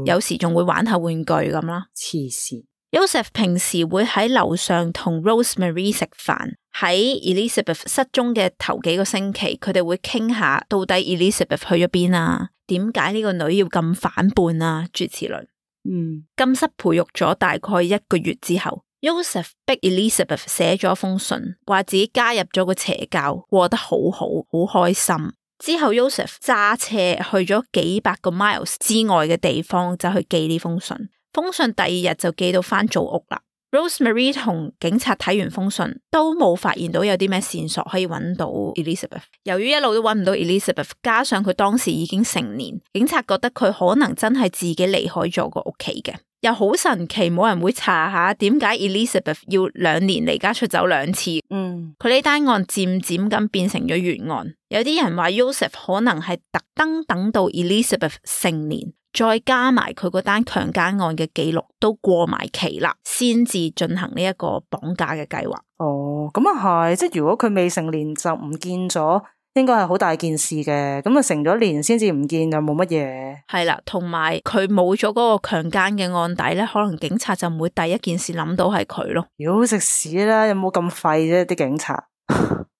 有時仲會玩下玩具咁啦。黐線。Joseph 平時會喺樓上同 Rosemary 食飯。喺 Elizabeth 失蹤嘅頭幾個星期，佢哋會傾下到底 Elizabeth 去咗邊啊？點解呢個女要咁反叛啊？諸如此類。嗯，禁室培育咗大概一個月之後 Joseph 逼 Elizabeth 寫咗封信，話自己加入咗個邪教，過得好好，好開心。之後 Joseph 揸車去咗幾百個 miles 之外嘅地方，就去寄呢封信。封信第二日就寄到翻祖屋啦。Rosemary 同警察睇完封信，都冇發現到有啲咩線索可以揾到 Elizabeth。由於一路都揾唔到 Elizabeth， 加上佢當時已經成年，警察覺得佢可能真係自己離開咗個屋企嘅。又好神奇，冇人會查下點解 Elizabeth 要兩年離家出走兩次。嗯，佢呢單案漸漸咁變成咗懸案。有啲人話 Joseph 可能係特登等到 Elizabeth 成年，再加埋佢嗰單強姦案嘅記錄都過埋期啦，先至進行呢一個綁架嘅計劃。哦，咁啊係，即係如果佢未成年就唔見咗，應該係好大件事嘅。咁啊成咗年先至唔見就冇乜嘢。係啦，同埋佢冇咗嗰個強姦嘅案底咧，可能警察就唔會第一件事諗到係佢咯。妖食屎啦，有冇咁廢啫啲警察？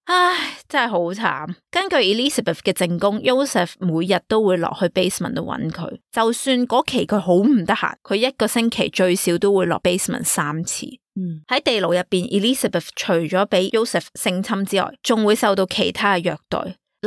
唉，真係好慘。根據 Elizabeth 嘅證供 Joseph 每日都會落去 basement 度揾佢，就算嗰期佢好唔得閒，佢一個星期最少都會落 basement 三次。嗯，喺地牢入邊 Elizabeth 除咗俾 Joseph 性侵之外，仲會受到其他嘅虐待，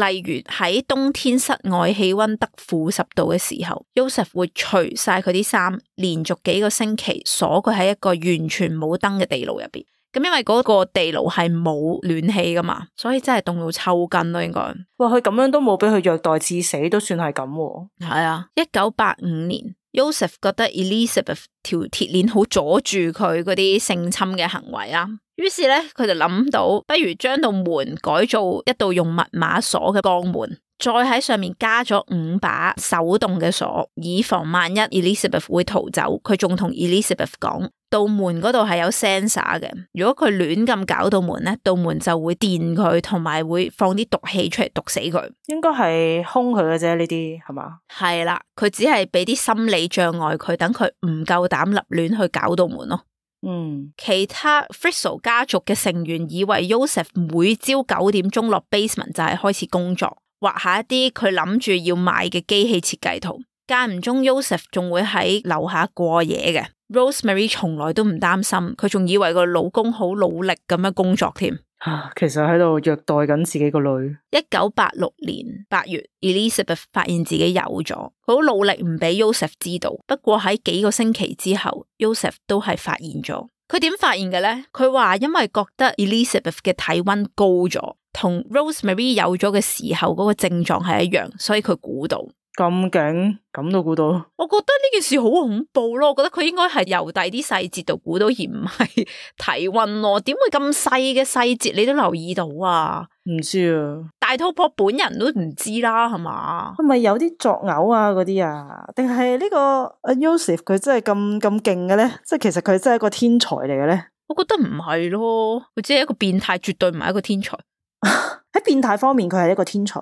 例如喺冬天室外氣溫得負十度嘅時候 Joseph 會除晒佢啲衫，連續幾個星期鎖佢喺一個完全冇燈嘅地牢入邊。咁因為嗰個地牢係冇暖氣噶嘛，所以真係凍到抽筋咯，應該。哇，佢咁樣都冇俾佢虐待致死，都算係咁喎。係啊，一九八五年 Joseph 覺得 Elizabeth 條鐵鏈好阻住佢嗰啲性侵嘅行為啊，於是咧佢就諗到，不如將道門改造一道用密碼鎖嘅鋼門，再喺上面加咗五把手動嘅鎖，以防萬一 Elizabeth 會逃走。佢仲同 Elizabeth 講，道門嗰度係有 sensor 嘅，如果佢亂咁搞道門咧，道門就會電佢，同埋會放啲毒氣出嚟毒死佢。應該係兇佢嘅啫，呢啲係嘛？係啦，佢只係俾啲心理障礙佢，等佢唔夠膽立亂去搞道門咯。嗯，其他 Frizzle 家族嘅成員以為 Joseph 每朝九點鐘落 basement 就係開始工作，畫下一啲佢諗住要賣嘅機器設計圖。間唔中 Joseph 仲會喺樓下過夜嘅。Rosemary 從來都唔擔心，佢仲以為個老公好努力咁樣工作添。啊，其實喺度虐待緊自己個女。一九八六年八月 Elizabeth 發現自己有咗，佢好努力唔俾 Joseph 知道。不過喺幾個星期之後 Joseph 都係發現咗。佢點發現嘅呢？佢話因為覺得 Elizabeth 嘅體溫高咗，同 Rosemary 有咗嘅時候嗰個症狀係一樣，所以佢估到。咁勁，咁都估到。我覺得呢件事好恐怖咯，我覺得佢應該係由第啲細節度估到，而唔係體溫咯。點會咁細嘅細節你都留意到啊？唔知啊，大肚婆本人都唔知啦，係嘛？係咪有啲作嘔啊嗰啲啊？定係呢個阿 Joseph 佢真係咁咁勁嘅咧？即係其實佢真係一個天才嚟嘅咧？我覺得唔係咯，佢只係一個變態，絕對唔係一個天才。喺變態方面，佢係一個天才。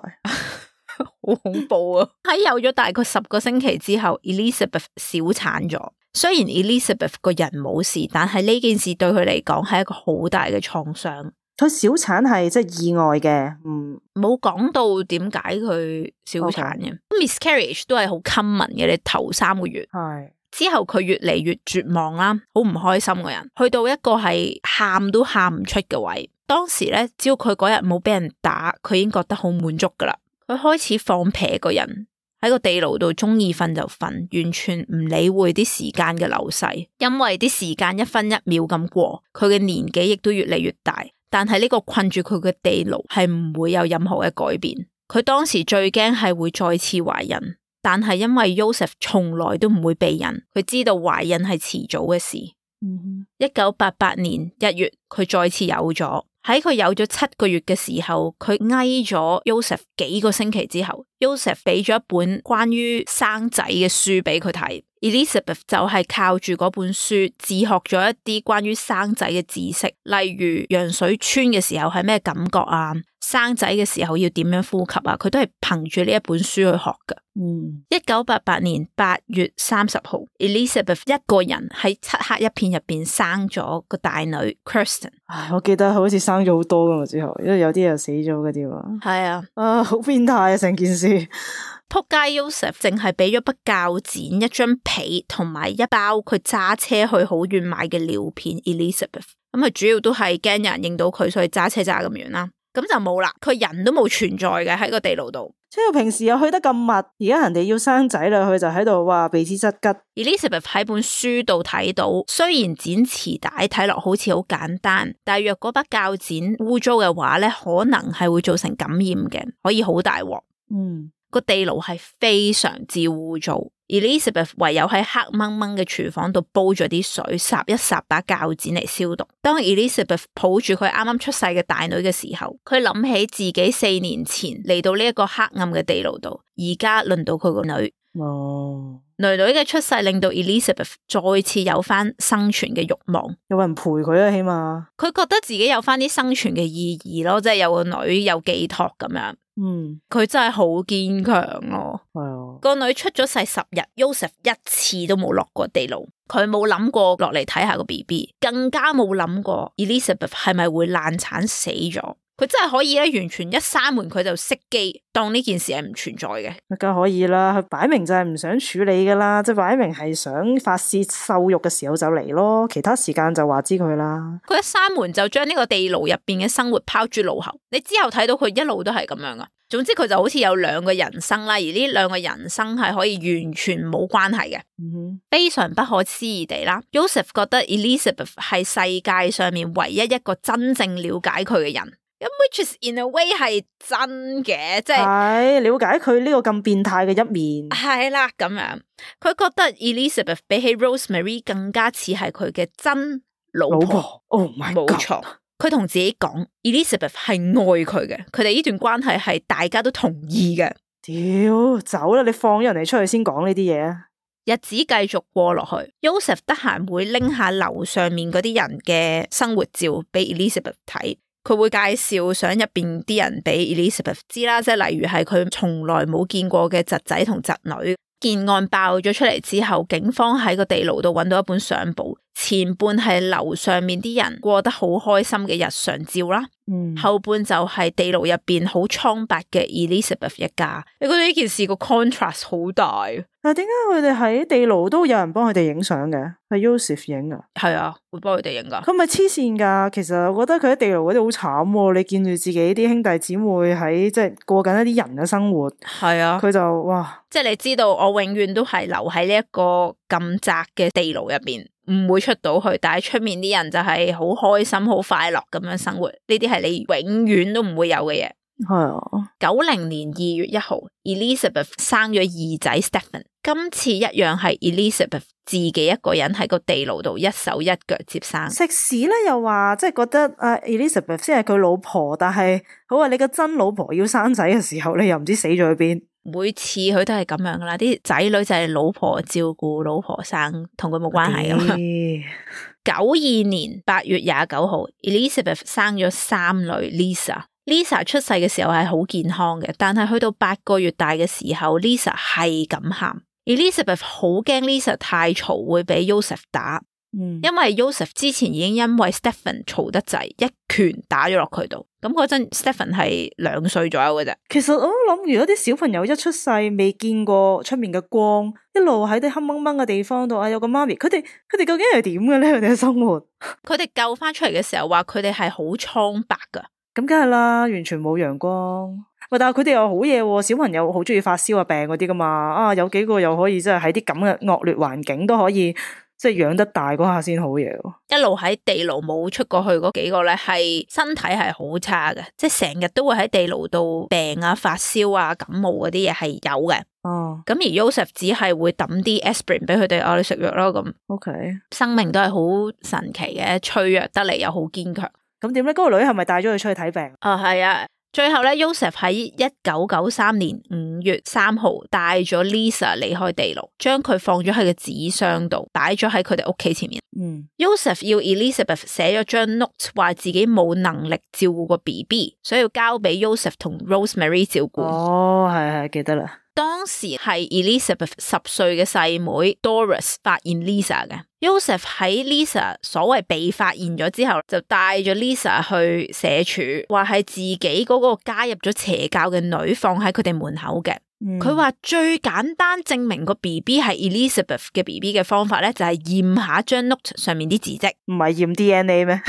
好恐怖啊！喺有咗大概十個星期之後 Elizabeth 小產咗。雖然 Elizabeth 個人冇事，但係呢件事對佢嚟講係一個好大嘅創傷。佢小產係即係意外嘅，嗯，冇講到點解佢小產嘅。Okay. Miscarriage 都係好 common 嘅，你頭三個月。係之後佢越嚟越絕望啦，好唔開心嘅人，去到一個係喊都喊唔出嘅位。當時咧，只要佢嗰日冇俾人打，佢已經覺得好滿足噶啦。佢開始放屁個人喺個地牢度，中意瞓就瞓，完全唔理會啲時間嘅流逝。因為啲時間一分一秒咁過，佢嘅年紀亦都越嚟越大。但係呢個困住佢嘅地牢係唔會有任何嘅改變。佢當時最驚係會再次懷孕，但係因為 Joseph 從來都唔會避孕，佢知道懷孕係遲早嘅事。一九八八年一月，佢再次有咗。喺佢有咗七個月嘅時候，佢挨咗 Joseph 幾個星期之後 ，Joseph 俾咗一本關於生仔嘅書俾佢睇。Elizabeth 就係靠住嗰本書自學咗一啲關於生仔嘅知識，例如羊水穿嘅時候係咩感覺啊，生仔嘅時候要點樣呼吸啊，佢都係憑住呢一本書去學㗎。嗯，一九八八年八月三十號 ，Elizabeth 一個人喺漆黑一片入邊生咗個大女 Kirsten。唉，我記得好似生咗好多噶嘛之後，因為有啲又死咗嗰啲嘛。係啊，啊，好變態啊成件事。仆街 Joseph 淨係俾咗筆鉸剪、一張被同埋一包佢揸車去好遠買嘅尿片 Elizabeth。咁佢主要都係驚人認到佢，所以揸車揸咁遠啦。咁就冇啦，佢人都冇存在嘅喺個地牢度。即係平時又去得咁密，而家人哋要生仔啦，佢就喺度話避之則吉。Elizabeth 喺本書度睇到，雖然剪臍帶睇落好似好簡單，但係若嗰把鉸剪污糟嘅話咧，可能係會造成感染嘅，可以好大鑊。嗯，個地牢係非常之污糟。Elizabeth 唯有喺黑掹掹嘅廚房度煲咗啲水，霎一霎把鉸剪嚟消毒。當 Elizabeth 抱住佢啱啱出世嘅大女嘅時候，佢諗起自己四年前嚟到呢一個黑暗嘅地牢度，而家輪到佢個女。哦，女女嘅出世令到 Elizabeth 再次有翻生存嘅慾望，有人陪佢啊，起碼佢覺得自己有翻啲生存嘅意義咯，即係有個女有寄託咁樣。嗯，佢真係好堅強咯。係啊，個女出咗世十日 Joseph 一次都冇落過地牢，佢冇諗過落嚟睇下個 B B， 更加冇諗過 Elizabeth 係咪會難產死咗。佢真係可以咧，完全一閂門佢就熄機，當呢件事係唔存在嘅。梗可以啦，佢擺明就係唔想處理噶啦，即係擺明係想發洩獸慾嘅時候就嚟咯，其他時間就話知佢啦。佢一閂門就將呢個地牢入邊嘅生活拋諸腦後，你之後睇到佢一路都係咁樣噶。總之佢就好似有兩個人生啦，而呢兩個人生係可以完全冇關係嘅。嗯哼，非常不可思議地啦 ，Joseph 覺得 Elizabeth 係世界上面唯一一個真正了解佢嘅人。咁 which is in a way 係真嘅，即係了解佢呢個咁變態嘅一面。係啦，咁樣佢覺得 Elizabeth 比起 Rosemary 更加似係佢嘅真老婆。老婆 Oh my God，冇錯。佢同自己講 Elizabeth 係愛佢嘅，佢哋呢段關係係大家都同意嘅。屌，走啦！你放咗人哋出去先講呢啲嘢啊！日子繼續過落去 ，Joseph 得閒會拎下樓上面嗰啲人嘅生活照俾 Elizabeth 睇。佢會介紹相入邊啲人俾 Elizabeth 知啦，即係例如係佢從來冇見過嘅侄仔同侄女。件案爆咗出嚟之後，警方喺個地牢度揾到一本相簿，前半係樓上面啲人過得好開心嘅日常照啦，嗯，後半就係地牢入邊好蒼白嘅 Elizabeth 一家。你覺得呢件事個 contrast 好大？但係點解佢哋喺地牢都有人幫佢哋影相嘅？係 Joseph 影啊？係啊，會幫佢哋影噶。佢咪黐線噶？其實我覺得佢喺地牢嗰啲好慘，你見住自己啲兄弟姊妹喺即係過緊一啲人嘅生活。係啊，佢就哇，即係你知道我永遠都係留喺呢一個咁窄嘅地牢入邊，唔會出到去。但係出面啲人就係好開心、好快樂咁樣生活。呢啲係你永遠都唔會有嘅嘢。係啊，九零年二月一號 ，Elizabeth 生咗二仔 Stephen。今次一樣係 Elizabeth 自己一個人喺個地牢度一手一腳接生。食屎咧又話，即係覺得啊 Elizabeth 先係佢老婆，但係好話你個真老婆要生仔嘅時候，你又唔知死咗去邊。每次佢都係咁樣噶啦，啲仔女就係老婆照顧，老婆生，同佢冇關係噶嘛。九二年八月廿九號 ，Elizabeth 生咗三女 Lisa。Lisa 出世嘅時候係好健康嘅，但係去到八個月大嘅時候 ，Lisa 係咁喊。Elizabeth 好驚 Lisa 太嘈會俾 Joseph 打，嗯，因為 Joseph 之前已經因為 Stephen 嘈得滯，一拳打咗落佢度。咁嗰陣 Stephen 係兩歲左右嘅啫。其實我都諗，如果啲小朋友一出世未見過出面嘅光，一路喺啲黑掹掹嘅地方度啊，有個媽咪，佢哋佢哋究竟係點嘅咧？佢哋嘅生活，佢哋救翻出嚟嘅時候話佢哋係好蒼白噶。咁梗係啦，完全冇陽光。喂，但係佢哋又好嘢，小朋友好中意發燒啊病嗰啲噶嘛，啊有幾個又可以即係喺啲咁嘅惡劣環境都可以即係養得大嗰下先好嘢。一路喺地牢冇出過去嗰幾個咧，係身體係好差嘅，即係成日都會喺地牢度病啊、發燒啊、感冒嗰啲嘢係有嘅。哦，咁而 Joseph 只係會抌啲 aspirin 俾佢哋，啊你食藥咯咁。OK，生命都係好神奇嘅，脆弱得嚟又好堅強。咁點咧？嗰、那個女係咪帶咗佢出去睇病？啊係啊，最後咧 Joseph 喺一九九三年五月三號帶咗 Lisa 離開地牢，將佢放咗喺個紙箱度，擺咗喺佢哋屋企前面。嗯 Joseph 要 Elizabeth 寫咗張 note 話自己冇能力照顧個 B B， 所以要交俾 Joseph 同 Rosemary 照顧。哦，係係記得啦。當時係 Elizabeth 十歲嘅細妹 Doris 發現 Lisa 嘅。Joseph 喺 Lisa 所謂被發現咗之後，就帶咗 Lisa 去社署，話係自己嗰個加入咗邪教嘅女放喺佢哋門口嘅。佢話、嗯、最簡單證明個 B B 係 Elizabeth 嘅 B B 嘅方法咧，就係驗下張 note 上面啲字跡。唔係驗 D N A 咩？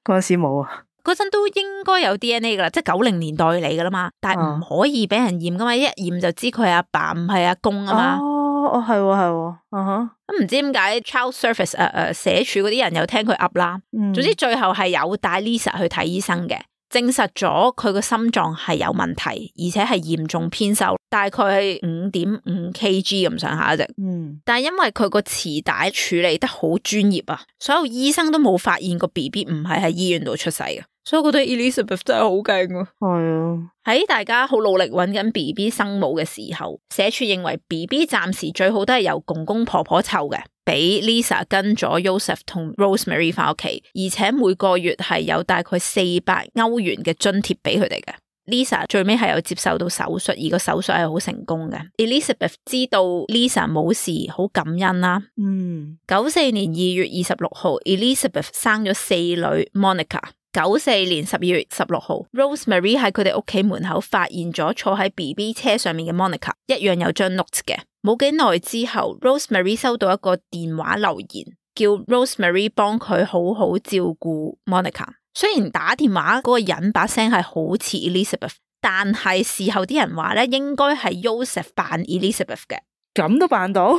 嗰陣時冇啊。嗰陣都應該有 D N A 噶啦，即係九零年代嚟噶啦嘛，但係唔可以俾人驗噶嘛，一驗就知佢係阿爸唔係阿公啊嘛。哦，哦係喎係喎，啊哈。咁唔知點解 Child Service 誒、呃、誒社署嗰啲人有聽佢噏啦。嗯、總之最後係有帶 Lisa 去睇醫生嘅，證實咗佢個心臟係有問題，而且係嚴重偏瘦，大概係五點五 K G 咁上下啫。嗯，但係因為佢個臍帶處理得好專業啊，所有醫生都冇發現個 B B 唔係喺醫院度出世嘅。所以我覺得 Elizabeth 真係好勁啊！係啊，喺大家好努力揾緊 B B 生母嘅時候，社署認為 B B 暫時最好都係由公公婆婆湊嘅，俾 Lisa 跟咗 Joseph 同 Rosemary 翻屋企，而且每個月係有大概四百歐元嘅津貼俾佢哋嘅。Lisa 最尾係有接受到手術，而個手術係好成功嘅。Elizabeth 知道 Lisa 冇事，好感恩啦。嗯，九四年二月二十六號 ，Elizabeth 生咗四女 Monica。九四年十二月十六號 ，Rosemary 喺佢哋屋企門口發現咗坐喺 B B 車上面嘅 Monica， 一樣有張 note 嘅。冇幾耐之後 ，Rosemary 收到一個電話留言，叫 Rosemary 幫佢好好照顧 Monica。雖然打電話嗰個人把聲係好似 Elizabeth， 但係事後啲人話咧，應該係 Joseph 扮 Elizabeth 嘅。咁都扮到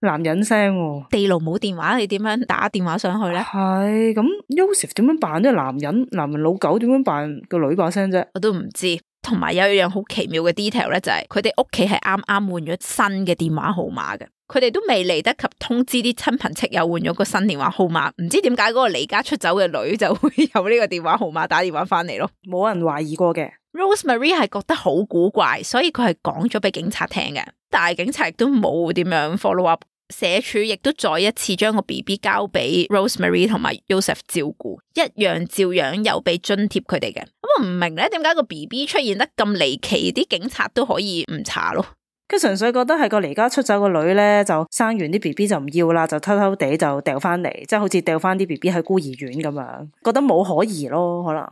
男人聲喎，地牢冇電話，你點樣打電話上去咧？係咁 Joseph 點樣扮呢個男人？男人老狗點樣扮個女把聲啫？我都唔知。同埋有一樣好奇妙嘅 detail 咧，就係佢哋屋企係啱啱換咗新嘅電話號碼嘅，佢哋都未嚟得及通知啲親朋戚友換咗個新電話號碼，唔知點解嗰個離家出走嘅女就會有呢個電話號碼打電話翻嚟咯，冇人懷疑過嘅。Rosemary 係覺得好古怪，所以佢係講咗俾警察聽嘅，但係警察亦都冇點樣 follow up。社署亦都再一次將個 B B 交俾 Rosemary 同埋 Joseph 照顧，一樣照樣有俾津貼佢哋嘅。咁我唔明咧，點解個 B B 出現得咁離奇，啲警察都可以唔查咯？佢純粹覺得係個離家出走個女咧，就生完啲 B B 就唔要啦，就偷偷地就掉翻嚟，即係好似掉翻啲 B B 喺孤兒院咁樣，覺得冇可疑咯，可能。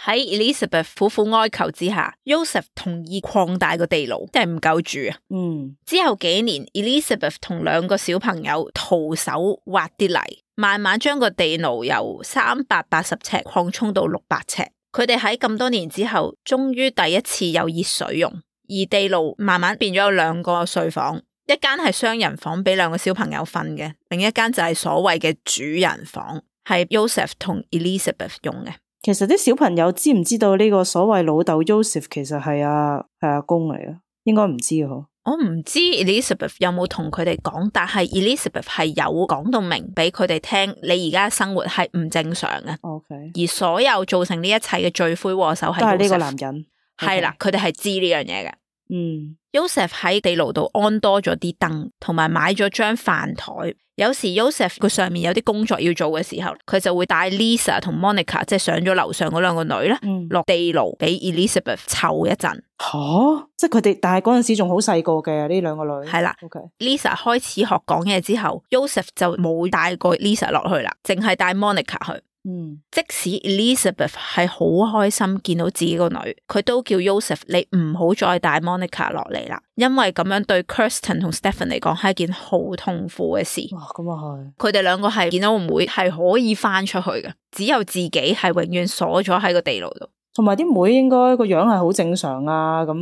喺 Elizabeth 苦苦哀求之下 Joseph 同意擴大個地牢，即係唔夠住啊。嗯，之後幾年 Elizabeth 同兩個小朋友徒手挖啲泥，慢慢將個地牢由三百八十尺擴充到六百尺。佢哋喺咁多年之後終於第一次有熱水用，而地牢慢慢變咗有兩個睡房，一間係雙人房俾兩個小朋友瞓嘅，另一間就係所謂嘅主人房，係 Joseph 同 Elizabeth 用嘅。其實啲小朋友知唔知道呢個所謂老豆 Joseph 其實係阿係阿公嚟嘅？應該唔知嗬。我唔知 Elizabeth 有冇同佢哋講，但係 Elizabeth 係有講到明俾佢哋聽，你而家生活係唔正常嘅。OK，而所有造成呢一切嘅罪魁禍首係都係呢個男人。係啦，佢哋係知呢樣嘢嘅。嗯 Joseph 喺地牢度安多咗啲燈，同埋買咗張飯台。有時 Joseph 佢上面有啲工作要做嘅時候，佢就會帶 Lisa 同 Monica 即係上咗樓上嗰兩個女咧，嗯、落地牢俾 Elizabeth 湊一陣。吓、啊，即係佢哋，但係嗰陣時仲好細個嘅呢兩個女。係啦 ，OK。Lisa 開始學講嘢之後 ，Joseph 就冇帶過 Lisa 落去啦，淨係帶 Monica 去。嗯，即使 Elizabeth 係好開心見到自己個女，佢都叫 Joseph 你唔好再帶 Monica 落嚟啦，因為咁樣對 Kirsten 同 Stephen 嚟講係一件好痛苦嘅事。哇，咁啊係。佢哋兩個係見到個妹係可以翻出去嘅，只有自己係永遠鎖咗喺個地牢度。同埋啲妹應該個樣係好正常啊，咁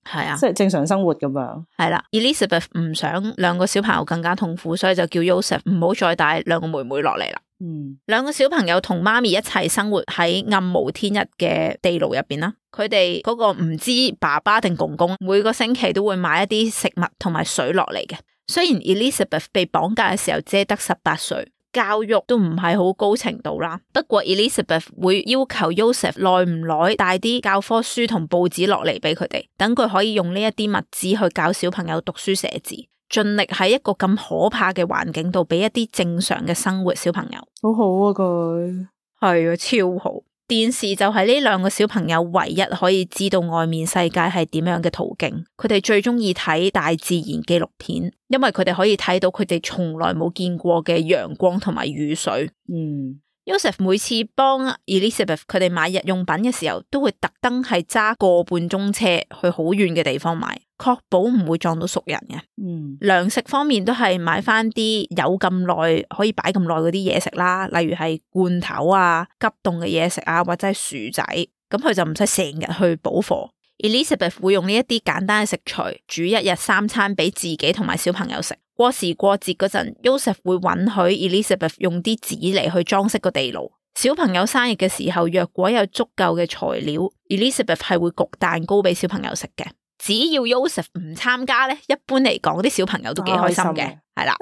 係啊，即係正常生活咁樣。係啦 ，Elizabeth 唔想兩個小朋友更加痛苦，所以就叫 Joseph 唔好再帶兩個妹妹落嚟啦。嗯，兩個小朋友同媽咪一齊生活喺暗無天日嘅地牢入邊啦。佢哋嗰個唔知爸爸定公公每個星期都會買一啲食物同埋水落嚟嘅。雖然 Elizabeth 被綁架嘅時候只係得十八歲，教育都唔係好高程度啦。不過 Elizabeth 會要求 Joseph 耐唔耐帶啲教科書同報紙落嚟俾佢哋，等佢可以用呢一啲物資去教小朋友讀書寫字。盡力喺一個咁可怕嘅環境度俾一啲正常嘅生活小朋友。好好啊，佢係啊，超好。電視就係呢兩個小朋友唯一可以知道外面世界係點樣嘅途徑。佢哋最中意睇大自然紀錄片，因為佢哋可以睇到佢哋從來冇見過嘅陽光同埋雨水。嗯Joseph 每次幫 Elizabeth 佢哋買日用品嘅時候，都會特登係揸個半鐘車去好遠嘅地方買，確保唔會撞到熟人嘅。嗯，糧食方面都係買翻啲有咁耐可以擺咁耐嗰啲嘢食啦，例如係罐頭啊、急凍嘅嘢食啊，或者係薯仔，咁佢就唔使成日去補貨。Elizabeth 會用呢一啲簡單嘅食材煮一日三餐俾自己同埋小朋友食。過時過節嗰陣 Joseph 會允許 Elizabeth 用啲紙嚟去裝飾個地牢。小朋友生日嘅時候，若果有足夠嘅材料 Elizabeth 係會焗蛋糕俾小朋友食嘅。只要 Joseph 唔參加咧，一般嚟講啲小朋友都幾開心嘅，係啦。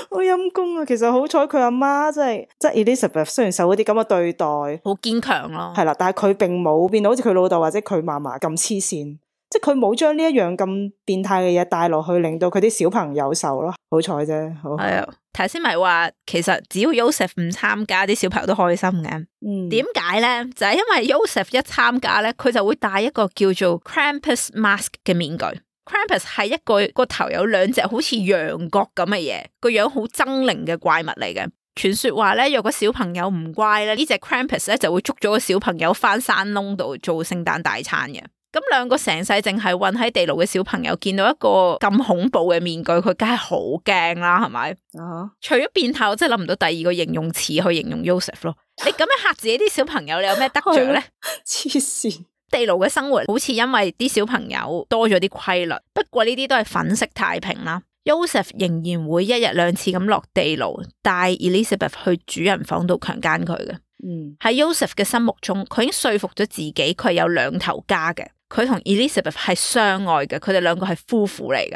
好陰公啊！其實好彩佢阿媽即係即係 Elizabeth 雖然受嗰啲咁嘅對待，好堅強咯，係啦，但係佢並冇變到好似佢老豆或者佢嫲嫲咁黐線，即係佢冇將呢一樣咁變態嘅嘢帶落去，令到佢啲小朋友受咯。好彩啫，好係啊。頭先咪話，其實只要 Joseph 唔參加，啲小朋友都開心嘅。嗯，點解咧？就係因為 Joseph 一參加咧，佢就會戴一個叫做 Krampus mask 嘅面具。Krampus 係一個個頭有兩隻好似羊角咁嘅嘢，個樣好猙獰嘅怪物嚟嘅。傳說話咧，若果小朋友唔乖咧，呢隻 Krampus 咧就會捉咗個小朋友翻山窿度做聖誕大餐嘅。咁兩個成世淨係困喺地牢嘅小朋友，見到一個咁恐怖嘅面具，佢梗係好驚啦，係咪？啊、uh-huh. 除咗變態，我真係諗唔到第二個形容詞去形容 Joseph 咯。你咁樣嚇自己啲小朋友，你有咩得着咧？黐線！地牢嘅生活好似因為啲小朋友多咗啲規律，不過呢啲都係粉飾太平啦。Joseph 仍然會一日兩次咁落地牢，帶 Elizabeth 去主人房度強姦佢嘅。嗯，喺 Joseph 嘅心目中，佢已經說服咗自己，佢係有兩頭家嘅。佢同 Elizabeth 係相愛嘅，佢哋兩個係夫婦嚟嘅。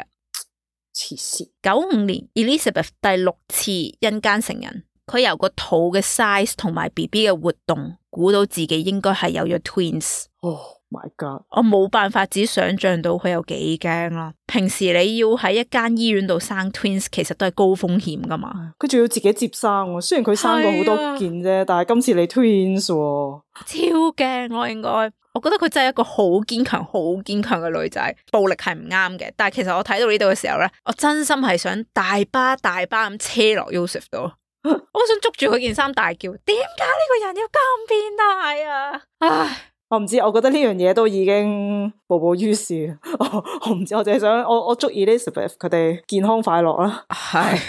黐線！九五年 Elizabeth 第六次因姦成人，佢由個肚嘅 size 同埋 B B 嘅活動，估到自己應該係有咗 twins。哦， My God，我冇辦法只想象到佢有幾驚啦。平時你要喺一間醫院度生 twins， 其實都係高風險噶嘛。佢仲要自己接生喎，雖然佢生過好多件啫，啊、但係今次你 twins 喎，超驚我應該。我覺得佢真係一個好堅強、好堅強嘅女仔。暴力係唔啱嘅，但係其實我睇到呢度嘅時候咧，我真心係想大巴大巴咁車落 Joseph 度。我想捉住佢件衫大叫，點解呢個人要咁變態啊？唉，我唔知，我覺得呢樣嘢都已經步步於事。我我唔知，我淨係想我我祝 Elizabeth 佢哋健康快樂啦。係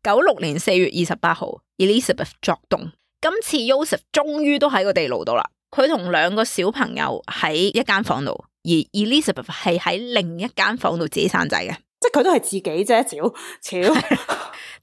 九六年四月二十八號 ，Elizabeth 作動。今次 Joseph 終於都喺個地牢度啦。佢同兩個小朋友喺一間房度，而 Elizabeth 係喺另一間房度自己生仔嘅。即係佢都係自己啫，屌，屌，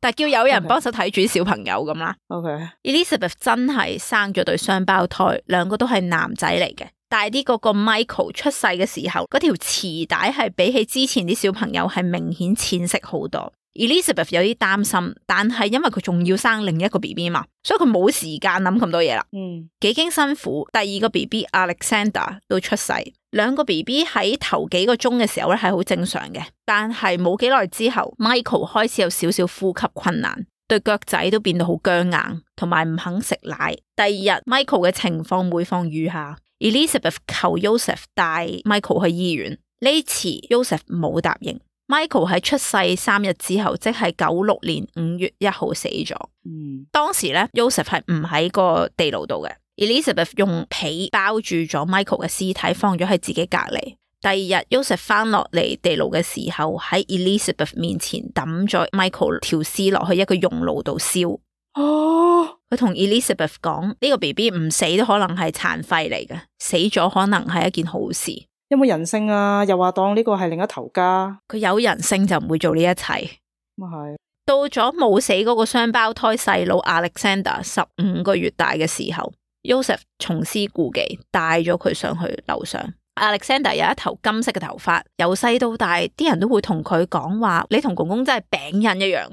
但係叫有人幫手睇住小朋友咁啦。OK，Elizabeth 真係生咗對雙胞胎，兩個都係男仔嚟嘅。大啲嗰個 Michael 出世嘅時候，嗰條臍帶係比起之前啲小朋友係明顯淺色好多。Elizabeth 有啲擔心，但係因為佢仲要生另一個 B B 嘛，所以佢冇時間諗咁多嘢啦。嗯，幾經辛苦，第二個 B B Alexander 都出世。兩個 B B 喺頭幾個鐘嘅時候咧係好正常嘅，但係冇幾耐之後 ，Michael 開始有少少呼吸困難，對腳仔都變到好僵硬，同埋唔肯食奶。第二日 Michael 嘅情況每況愈下 ，Elizabeth 求 Joseph 帶 Michael 去醫院，呢次 Joseph 冇答應。Michael 喺出世三日之後，即係九六年五月一號死咗。嗯，當時咧 Joseph 係唔喺個地牢度嘅。Elizabeth 用被包住咗 Michael 嘅屍體，放咗喺自己隔籬。第二日 Joseph 翻落嚟地牢嘅時候，喺 Elizabeth 面前抌咗 Michael 條屍落去一個熔爐度燒。哦，佢同 Elizabeth 講呢、這個 B B 唔死都可能係殘廢嚟嘅，死咗可能係一件好事。有冇人性啊？又話當呢個係另一頭家，佢有人性就唔會做呢一切。咁啊係。到咗冇死嗰個雙胞胎細佬 Alexander 十五個月大嘅時候，Joseph 重施故技，帶咗佢上去樓上。Alexander 有一頭金色嘅頭髮，由細到大，啲人都會同佢講話：你同公公真係餅印一樣。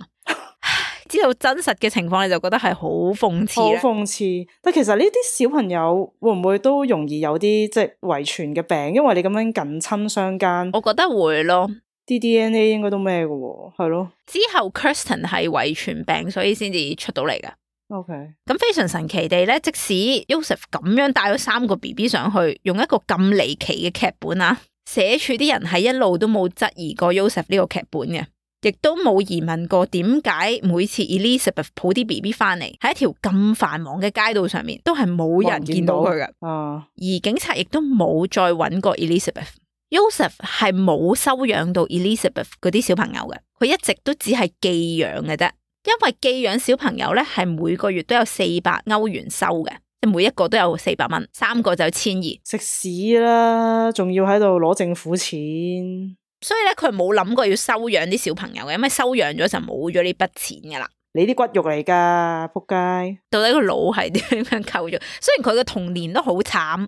知道真實嘅情況，你就覺得係好諷刺。好諷刺，但其實呢啲小朋友會唔會都容易有啲即係遺傳嘅病？因為你咁樣近親相姦，我覺得會咯。啲 D N A 應該都咩嘅喎，係咯。之後 Kirsten 係遺傳病，所以先至出到嚟嘅。OK，咁非常神奇地咧，即使 Joseph 咁樣帶咗三個 B B 上去，用一個咁離奇嘅劇本啊，寫處啲人係一路都冇質疑過 Joseph 呢個劇本嘅。亦都冇疑問過點解每次 Elizabeth 抱啲 B B 翻嚟，喺一條咁繁忙嘅街道上面，都係冇人見到佢嘅。啊，而警察亦都冇再揾過 Elizabeth。Joseph 係冇收養到 Elizabeth 嗰啲小朋友嘅，佢一直都只係寄養嘅啫。因為寄養小朋友咧係每個月都有四百歐元收嘅，即每一個都有四百蚊，三個就千二。食屎啦，仲要喺度攞政府錢。所以咧，佢冇諗過要收養啲小朋友嘅，因為收養咗就冇咗呢筆錢噶啦。你啲骨肉嚟噶，仆街！到底個腦係點樣構造？雖然佢嘅童年都好慘，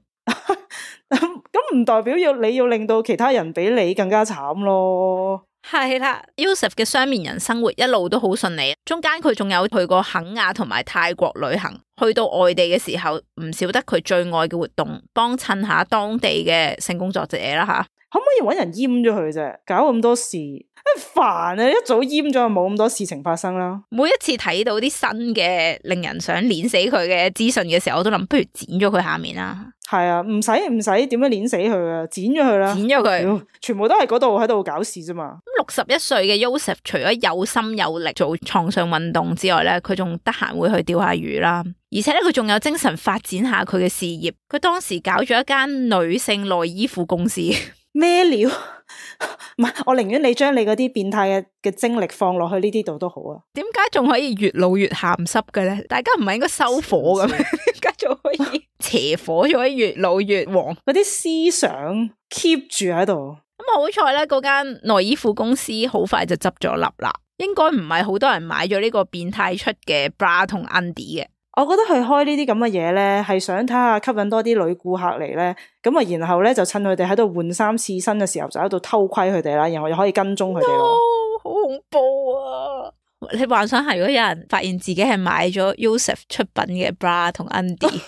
咁唔代表要你要令到其他人比你更加慘咯。係啦 ，Joseph 嘅雙面人生活一路都好順利，中間佢仲有去過肯亞同埋泰國旅行，去到外地嘅時候唔少得佢最愛嘅活動，幫襯下當地嘅性工作者啦吓。可唔可以搵人閹咗佢啫？搞咁多事，煩啊！一早閹咗就冇咁多事情發生啦。每一次睇到啲新嘅令人想碾死佢嘅資訊嘅時候，我都諗不如剪咗佢下面啦。係啊，唔使唔使點樣碾死佢啊，剪咗佢啦，剪咗佢，全部都係嗰度喺度搞事啫嘛。咁六十一歲嘅 Joseph 除咗有心有力做床上運動之外咧，佢仲得閒會去釣下魚啦，而且咧佢仲有精神發展下佢嘅事業。佢當時搞咗一間女性內衣褲公司。咩料？唔係，我寧願你將你嗰啲變態嘅嘅精力放落去呢啲度都好啊。點解仲可以越老越鹹濕嘅咧？大家唔係應該收火嘅咩？點解仲可以邪火，仲可以越老越旺？嗰啲思想 keep 住喺度。咁好彩咧，嗰間內衣褲公司好快就執咗笠啦。應該唔係好多人買咗呢個變態出嘅 bra 同 undy 嘅。我覺得佢開呢啲咁嘅嘢咧，係想睇下吸引多啲女顧客嚟咧，咁啊，然後咧就趁佢哋喺度換衫試身嘅時候，就喺度偷窺佢哋啦，然後又可以跟蹤佢哋咯。好恐怖啊！你幻想下，如果有人發現自己係買咗 Joseph 出品嘅 bra 同 undie，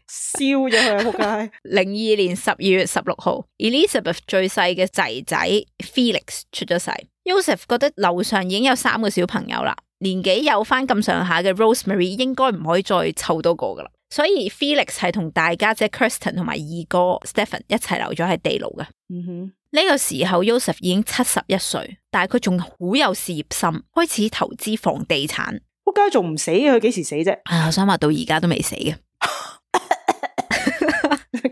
燒咗佢啊！仆街！零二年十二月十六號 ，Elizabeth 最細嘅仔仔 Felix 出咗世。Joseph 覺得樓上已經有三個小朋友啦，年紀有翻咁上下嘅 Rosemary 應該唔可以再湊多個噶啦，所以 Felix 係同大家姐 Kirsten 同埋二哥 Stephen 一齊留咗喺地牢嘅。嗯哼。呢個時候 Joseph 已經七十一歲，但係佢仲好有事業心，開始投資房地產。仆街仲唔死嘅？佢幾時死啫？啊，我想話到而家都未死嘅，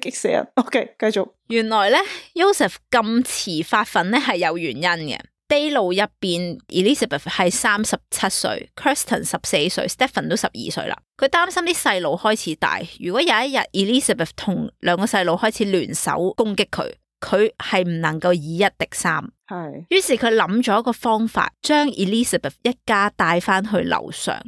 激死人。OK， 繼續。原來咧 Joseph 咁遲發奮咧係有原因嘅。地牢入邊 Elizabeth 係三十七歲 ，Kirsten 十四歲 ，Stephen 都十二歲啦。佢擔心啲細路開始大，如果有一日 Elizabeth 同兩個細路開始聯手攻擊佢。佢係唔能夠以一敵三，係。於是佢諗咗一個方法，將 Elizabeth 一家帶翻去樓上。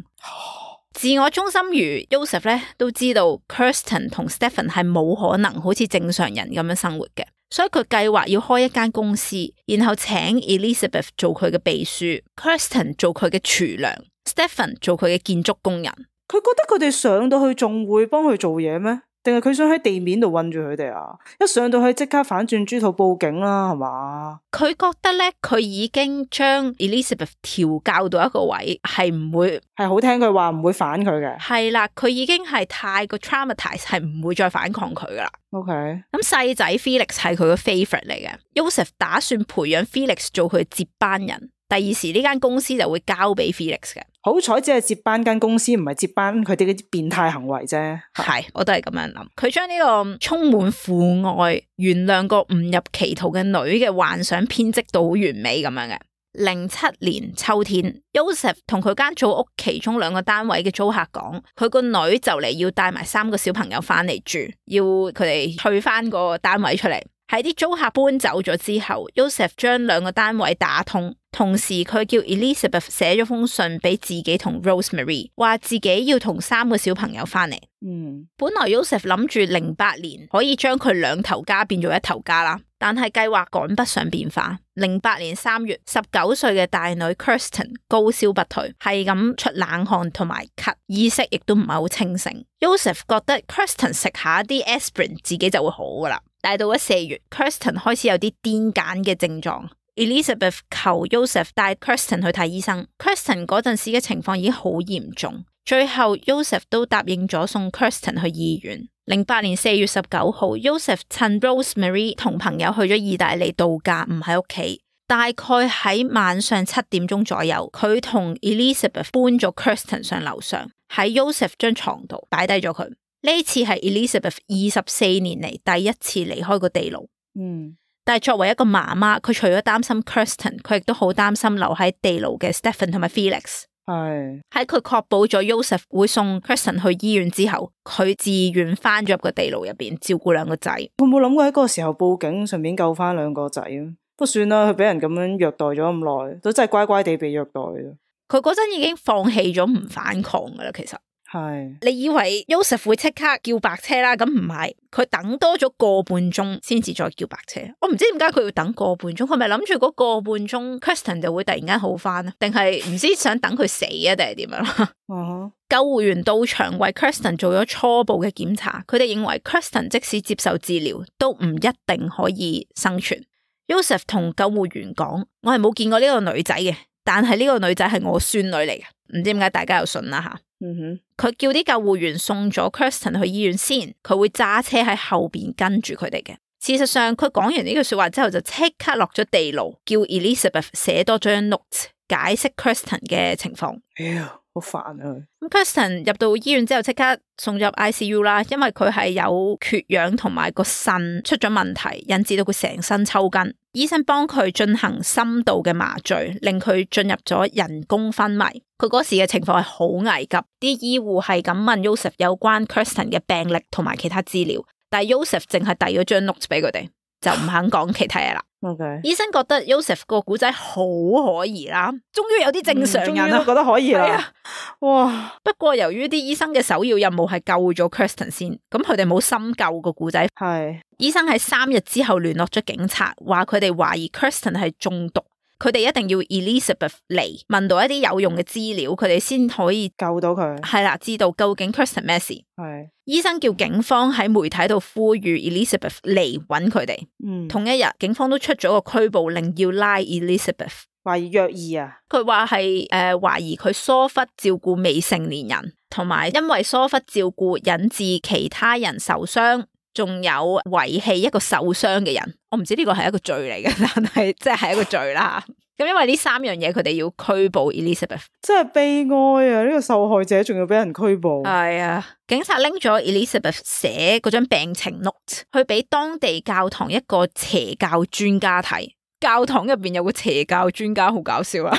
自我中心如 Joseph 咧，都知道 Kirsten 同 Stephen 係冇可能好似正常人咁樣生活嘅，所以佢計劃要開一間公司，然後請 Elizabeth 做佢嘅秘書 ，Kirsten 做佢嘅廚娘 ，Stephen 做佢嘅建築工人。佢覺得佢哋上到去仲會幫佢做嘢咩？定係佢想喺地面度韞住佢哋啊？一上到去即刻反轉豬肚報警啦，係嘛？佢覺得咧，佢已經將 Elizabeth 調教到一個位，係唔會係好聽佢話，唔會反佢嘅。係啦，佢已經係太過 traumatized，係唔會再反抗佢噶啦。OK，咁細仔 Felix 係佢個 favorite 嚟嘅 ，Joseph 打算培養 Felix 做佢接班人。第二時呢間公司就會交俾 Felix 嘅。好彩只係接班間公司，唔係接班佢哋嗰啲變態行為啫。係，我都係咁樣諗。佢將呢個充滿父愛、原諒個誤入歧途嘅女嘅幻想編織到好完美咁樣嘅。零七年秋天 ，Joseph 同佢間組屋其中兩個單位嘅租客講，佢個女就嚟要帶埋三個小朋友翻嚟住，要佢哋退翻個單位出嚟。喺啲租客搬走咗之後 ，Joseph 將兩個單位打通，同時佢叫 Elizabeth 寫咗封信俾自己同 Rosemary， 話自己要同三個小朋友翻嚟。嗯，本來 Joseph 諗住零八年可以將佢兩頭家變做一頭家啦，但係計劃趕不上變化。零八年三月，十九歲嘅大女 Kirsten 高燒不退，係咁出冷汗同埋咳，意識亦都唔係好清醒。Joseph 覺得 Kirsten 食下啲 aspirin 自己就會好噶啦。但到咗四月 ，Kirsten 開始有啲癲癇嘅症狀。Elizabeth 求 Joseph 帶 Kirsten 去睇醫生。Kirsten 嗰陣時嘅情況已經好嚴重，最後 Joseph 都答應咗送 Kirsten 去醫院。零八年四月十九號 ，Joseph 趁 Rosemary 同朋友去咗意大利度假，唔喺屋企。大概喺晚上七點鐘左右，佢同 Elizabeth 搬咗 Kirsten 上樓上，喺 Joseph 張床度擺低咗佢。呢次係 Elizabeth 二十四年嚟第一次離開個地牢。嗯，但係作為一個媽媽，佢除咗擔心 Kirsten， 佢亦都好擔心留喺地牢嘅 Stephen 同埋 Felix。係喺佢確保咗 Joseph 會送 Kirsten 去醫院之後，佢自願翻咗入個地牢入邊照顧兩個仔。佢冇諗過喺嗰個時候報警，順便救翻兩個仔啊？不過算啦，佢俾人咁樣虐待咗咁耐，都真係乖乖地被虐待啊！佢嗰陣已經放棄咗唔反抗噶啦，其實。係，你以為 Joseph 會即刻叫白車啦？咁唔係，佢等多咗個半鐘先至再叫白車。我唔知點解佢要等個半鐘，佢咪諗住嗰個半鐘 Kirsten 就會突然間好翻啊？定係唔知想等佢死啊？定係點樣？ uh-huh. 救護員到場為 Kirsten 做咗初步嘅檢查，佢哋認為 Kirsten 即使接受治療，都唔一定可以生存。Joseph 同救護員講：我係冇見過呢個女仔嘅，但係呢個女仔係我孫女嚟嘅。唔知點解大家又信啦吓。嗯哼，佢叫啲救護員送咗 Kirsten 去醫院先，佢會揸車喺後邊跟住佢哋嘅。事實上，佢講完呢句說話之後，就即刻落咗地牢，叫 Elizabeth 寫多張 note 解釋 Kirsten 嘅情況。哎呀，好煩啊！咁 Kirsten 入到醫院之後，即刻送入 I C U 啦，因為佢係有缺氧同埋個腎出咗問題，引致到佢成身抽筋。醫生幫佢進行深度嘅麻醉，令佢進入咗人工昏迷。佢嗰時嘅情況係好危急，啲醫護係咁問 Joseph 有關 Kirsten 嘅病歷同埋其他資料，但係 Joseph 淨係遞咗張 note 俾佢哋，就唔肯講其他嘢啦。Okay. 醫生覺得 Joseph 個古仔好可疑啦，終於有啲正常人啦，嗯、終於都覺得可以啦。啊、哇！不過由於啲醫生嘅首要任務係救咗 Kirsten 先，咁佢哋冇深究個古仔。係醫生喺三日之後聯絡咗警察，話佢哋懷疑 Kirsten 係中毒，佢哋一定要 Elizabeth 嚟問到一啲有用嘅資料，佢哋先可以救到佢。係啦，知道究竟 Kirsten 咩事。係醫生叫警方喺媒體度呼籲 Elizabeth 嚟揾佢哋。嗯，同一日，警方都出咗個拘捕令，要拉 Elizabeth。懷疑虐兒啊？佢話係誒懷疑佢疏忽照顧未成年人，同埋因為疏忽照顧引致其他人受傷。仲有遺棄一個受傷嘅人，我唔知呢個係一個罪嚟嘅，但係即係係一個罪啦。咁因為呢三樣嘢，佢哋要拘捕 Elizabeth，真係悲哀啊！呢個受害者仲要俾人拘捕。係啊，警察拎咗 Elizabeth 寫嗰張病情 note 去俾當地教堂一個邪教專家睇。教堂入邊有個邪教專家，好搞笑啊！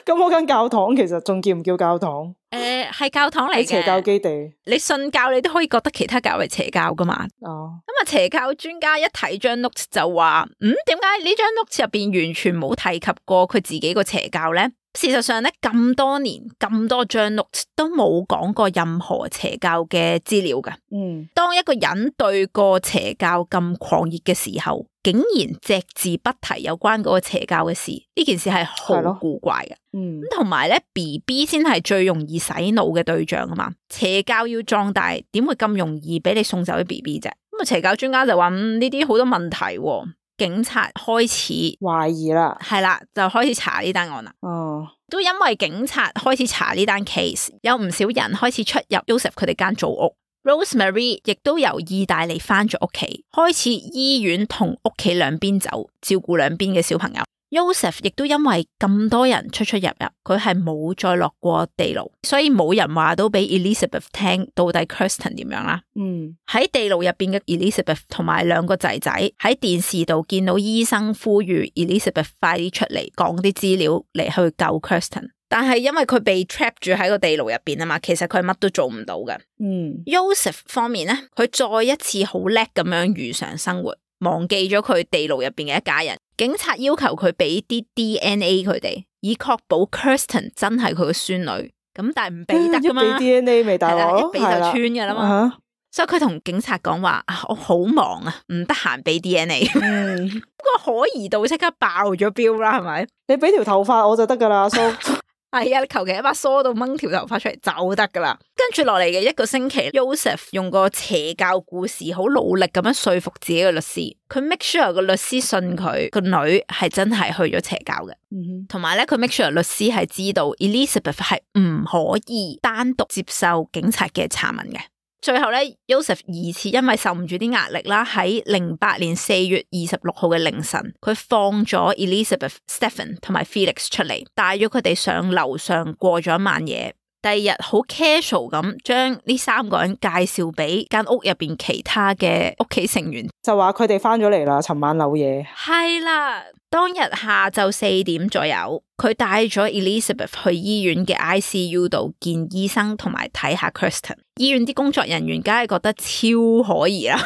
咁嗰間教堂其實仲叫唔叫教堂？誒，係教堂嚟嘅，邪教基地。你信教，你都可以覺得其他教係邪教噶嘛？哦，咁啊，邪教專家一睇張 note 就話：嗯，點解呢張 note 入邊完全冇提及過佢自己個邪教咧？事實上咧，咁多年咁多張 note 都冇講過任何邪教嘅資料噶。嗯，當一個人對個邪教咁狂熱嘅時候，竟然隻字不提有關嗰個邪教嘅事，呢件事係好古怪嘅。嗯，咁同埋咧 ，B B 先係最容易洗腦嘅對象啊嘛。邪教要壯大，點會咁容易俾你送走啲 B B 啫？咁啊，邪教專家就話：嗯，呢啲好多問題喎。警察開始懷疑啦，係啦，就開始查呢單案啦。哦，都因為警察開始查呢單 case，有唔少人開始出入 Joseph 佢哋間祖屋。Rosemary 亦都由意大利翻咗屋企，開始醫院同屋企兩邊走，照顧兩邊嘅小朋友。Joseph 亦都因為咁多人出出入入，佢係冇再落過地牢，所以冇人話到俾 Elizabeth 聽到底 Kirsten 點樣啦。嗯，喺地牢入邊嘅 Elizabeth 同埋兩個仔仔喺電視度見到醫生呼籲 Elizabeth 快啲出嚟講啲資料嚟去救 Kirsten， 但係因為佢被 trap 住喺個地牢入邊啊嘛，其實佢乜都做唔到嘅。嗯 Joseph 方面咧，佢再一次好叻咁樣如常生活，忘記咗佢地牢入邊嘅一家人。警察要求佢俾啲 D N A 佢哋，以確保 Kirsten 真係佢個孫女。咁但係唔俾得噶嘛，一俾 D N A 未大鑊，一俾就穿噶啦嘛。uh-huh. 所以佢同警察講話：我好忙啊，唔得閒俾 D N A。嗯，個可疑度即刻爆咗標啦，係咪？你俾條頭髮我就得噶啦，阿叔。係啊，你求其一把梳到掹條頭髮出嚟就得噶啦。跟住落嚟嘅一個星期 ，Joseph 用個邪教故事好努力咁樣說服自己嘅律師，佢 make sure 個律師信佢個女係真係去咗邪教嘅，同埋咧佢 make sure 律師係知道 Elizabeth 係唔可以單獨接受警察嘅查問嘅。最後咧 Joseph 疑似因為受唔住啲壓力啦，喺零八年四月二十六號嘅凌晨，佢放咗 Elizabeth、Stephen 同埋 Felix 出嚟，帶咗佢哋上樓上過咗一晚夜。第二日好 casual 咁將呢三個人介紹俾間屋入邊其他嘅屋企成員，就話佢哋翻咗嚟啦，尋晚漏夜。係啦，當日下晝四點左右，佢帶咗 Elizabeth 去醫院嘅 I C U 度見醫生同埋睇下 Kirsten。醫院啲工作人員梗係覺得超可疑啦，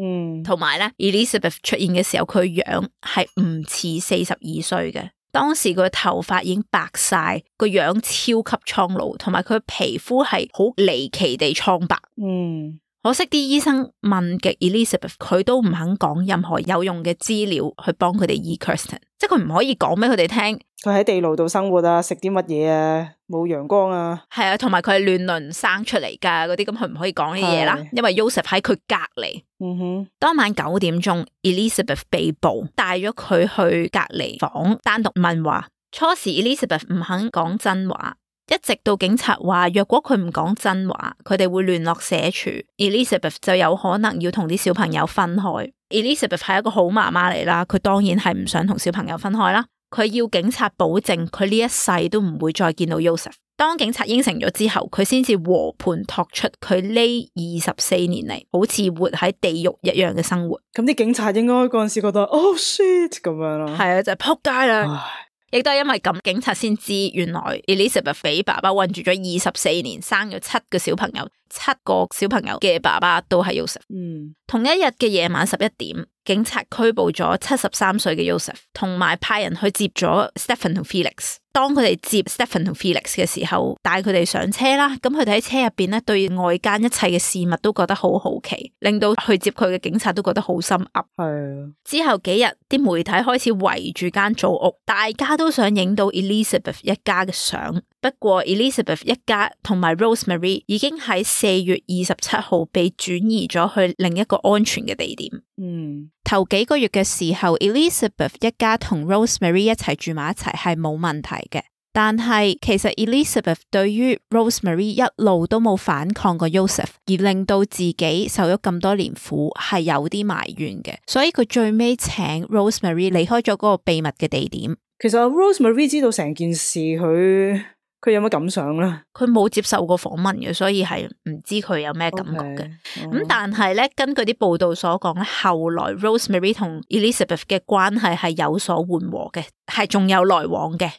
嗯，同埋咧 Elizabeth 出現嘅時候，佢樣係唔似四十二歲嘅。當時佢頭髮已經白晒，個樣超級蒼老，同埋佢皮膚係好離奇地蒼白。嗯，可惜啲醫生問極 Elizabeth， 佢都唔肯講任何有用嘅資料去幫佢哋醫 Kirsten， 即係佢唔可以講俾佢哋聽。佢喺地牢度生活啊，食啲乜嘢啊，冇陽光啊，係啊，同埋佢係亂倫生出嚟噶嗰啲，咁佢唔可以講呢啲嘢啦，因為 Joseph 喺佢隔籬。嗯哼，當晚九點鐘 ，Elizabeth 被捕，帶咗佢去隔離房單獨問話。初時 Elizabeth 唔肯講真話，一直到警察話若果佢唔講真話，佢哋會聯絡社署 ，Elizabeth 就有可能要同啲小朋友分開。Elizabeth 係一個好媽媽嚟啦，佢當然係唔想同小朋友分開啦。佢要警察保證佢呢一世都唔會再見到 Joseph。當警察應承咗之後，佢先至和盤托出佢呢二十四年嚟好似活喺地獄一樣嘅生活。咁啲警察應該嗰陣時覺得 oh shit 咁樣咯，係啊，就係撲街啦。亦都係因為咁，警察先知原來 Elizabeth 俾爸爸困住咗二十四年，生咗七個小朋友，七個小朋友嘅爸爸都係 Joseph。嗯，同一日嘅夜晚十一點，警察拘捕咗七十三歲嘅 Joseph， 同埋派人去接咗 Stephen 同 Felix。當佢哋接 Stephen 同 Felix 嘅時候，帶佢哋上車啦。咁佢哋喺車入邊咧，對外間一切嘅事物都覺得好好奇，令到去接佢嘅警察都覺得好心噏。係。之後幾日，啲媒體開始圍住間祖屋，大家都想影到 Elizabeth 一家嘅相。不過 Elizabeth 一家同埋 Rosemary 已經喺四月二十七號被轉移咗去另一個安全嘅地點。嗯，頭幾個月嘅時候 Elizabeth 一家同 Rosemary 一齊住埋一齊係冇問題嘅，但係其實 Elizabeth 對於 Rosemary 一路都冇反抗過 Joseph， 而令到自己受咗咁多年苦係有啲埋怨嘅，所以佢最尾請 Rosemary 離開咗嗰個秘密嘅地點。其實 Rosemary 知道成件事，佢佢有乜感想咧？佢冇接受過訪問嘅，所以係唔知佢有咩感覺嘅。咁、okay. oh. 但係咧，根據啲報道所講咧，後來 Rosemary 同 Elizabeth 嘅關係係有所緩和嘅，係仲有來往嘅。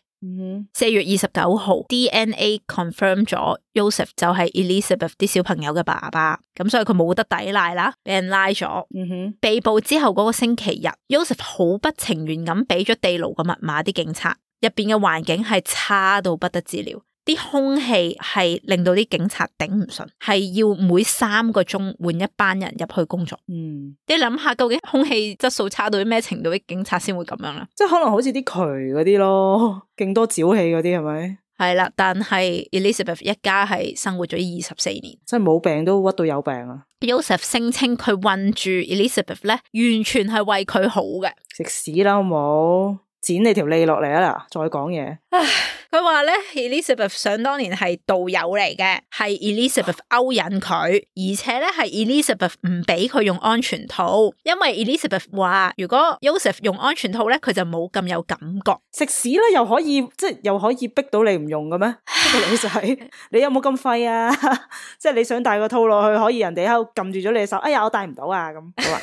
四、mm-hmm. 月二十九號 D N A confirm 咗 Joseph 就係 Elizabeth 啲小朋友嘅爸爸，咁所以佢冇得抵賴啦，俾人拉咗。Mm-hmm. 被捕之後嗰個星期日 Joseph 好不情願咁俾咗地牢個密碼啲警察，入邊嘅環境係差到不得之了，啲空氣係令到啲警察頂唔順，係要每三個鐘換一班人入去工作。嗯，你諗下究竟空氣質素差到啲咩程度，啲警察先會咁樣啦？即係可能好似啲渠嗰啲咯，勁多沼氣嗰啲係咪？係啦，但係 Elizabeth 一家係生活咗二十四年，即係冇病都屈到有病啊。Joseph 聲稱佢困住 Elizabeth 咧，完全係為佢好嘅。食屎啦好冇？剪你條脷落嚟啊！嗱，再講嘢。佢話咧 Elizabeth 想當年係道友嚟嘅，係 Elizabeth 勾引佢，而且咧係 Elizabeth 唔俾佢用安全套，因為 Elizabeth 話如果 Joseph 用安全套咧，佢就冇咁有感覺。食屎啦，又可以即係又可以逼到你唔用嘅咩？呢個女仔，你有冇咁廢啊？即係你想戴個套落去，可以人哋喺度撳住咗你嘅手，哎呀我戴唔到啊咁。好啊。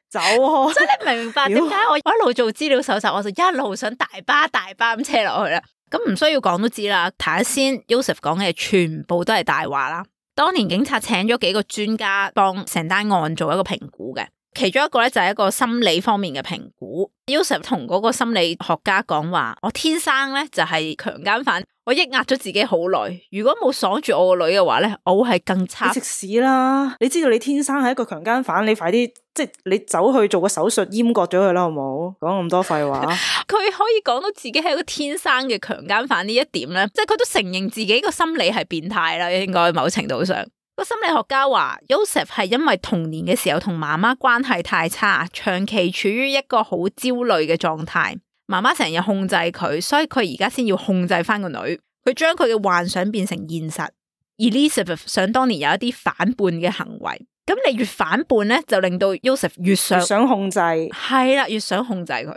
走開！所以你明白點解我一路做資料搜集，我就一路想大巴大巴咁車落去啦。咁唔需要講都知啦。睇下先 ，Joseph 講嘅全部都係大話啦。當年警察請咗幾個專家幫成單案做一個評估嘅，其中一個咧就係一個心理方面嘅評估。Joseph 同嗰個心理學家講話：我天生咧就係強姦犯，我抑壓咗自己好耐。如果冇鎖住我個女嘅話咧，我會係更差。你食屎啦！你知道你天生係一個強姦犯，你快啲即係你走去做個手術閹割咗佢啦，好冇？講咁多廢話。佢可以講到自己係一個天生嘅強姦犯呢一點咧，即係佢都承認自己個心理係變態啦，應該某程度上。個心理學家話 Joseph 係因為童年嘅時候同媽媽關係太差，長期處於一個好焦慮嘅狀態，媽媽成日控制佢，所以佢而家先要控制翻個女，佢將佢嘅幻想變成現實。Elizabeth 想當年有一啲反叛嘅行為，咁你越反叛咧，就令到 Joseph 越想越想控制，係啦，越想控制佢。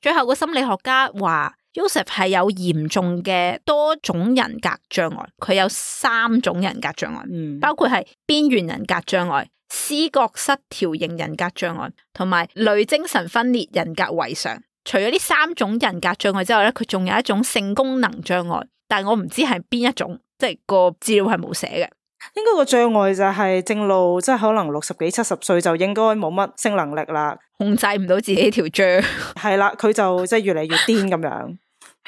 最後個心理學家話Joseph 係有嚴重嘅多種人格障礙，佢有三種人格障礙，嗯、包括係邊緣人格障礙、思覺失調型人格障礙同埋類精神分裂人格違常。除咗呢三種人格障礙之外咧，佢仲有一種性功能障礙，但係我唔知係邊一種，即係個資料係冇寫嘅。應該個障礙就係正路，即係可能六十幾七十歲就應該冇乜性能力啦，控制唔到自己條脹，係啦，佢就即係越嚟越癲咁樣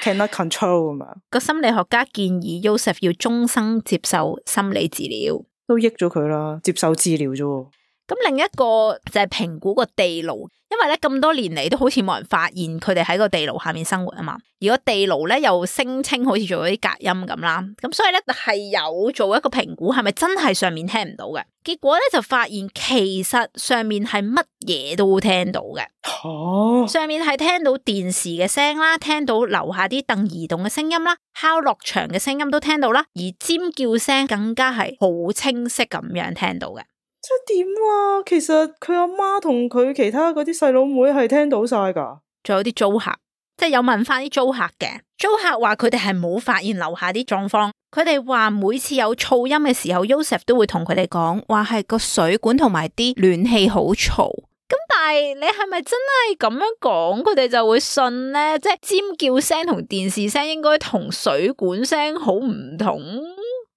，cannot control 咁樣。個心理學家建議 Joseph 要終生接受心理治療，都益咗佢啦，接受治療啫。咁另一個就係評估個地牢，因為咧咁多年嚟都好似冇人發現佢哋喺個地牢下面生活啊嘛，而個地牢咧又聲稱好似做咗啲隔音咁啦，咁所以咧係有做一個評估，係咪真係上面聽唔到嘅？結果咧就發現其實上面係乜嘢都聽到嘅，哦，上面係聽到電視嘅聲啦，聽到樓下啲凳移動嘅聲音啦，敲落牆嘅聲音都聽到啦，而尖叫聲更加係好清晰咁樣聽到嘅。即係點啊？其實佢阿媽同佢其他嗰啲細佬妹係聽到晒噶，仲有啲租客，即係有問翻啲租客嘅，租客話佢哋係冇發現樓下啲狀況，佢哋話每次有噪音嘅時候 Joseph 都會同佢哋講，話係個水管同埋啲暖氣好嘈。咁但係你係咪真係咁樣講，佢哋就會信呢？即係尖叫聲同電視聲應該同水管聲好唔同。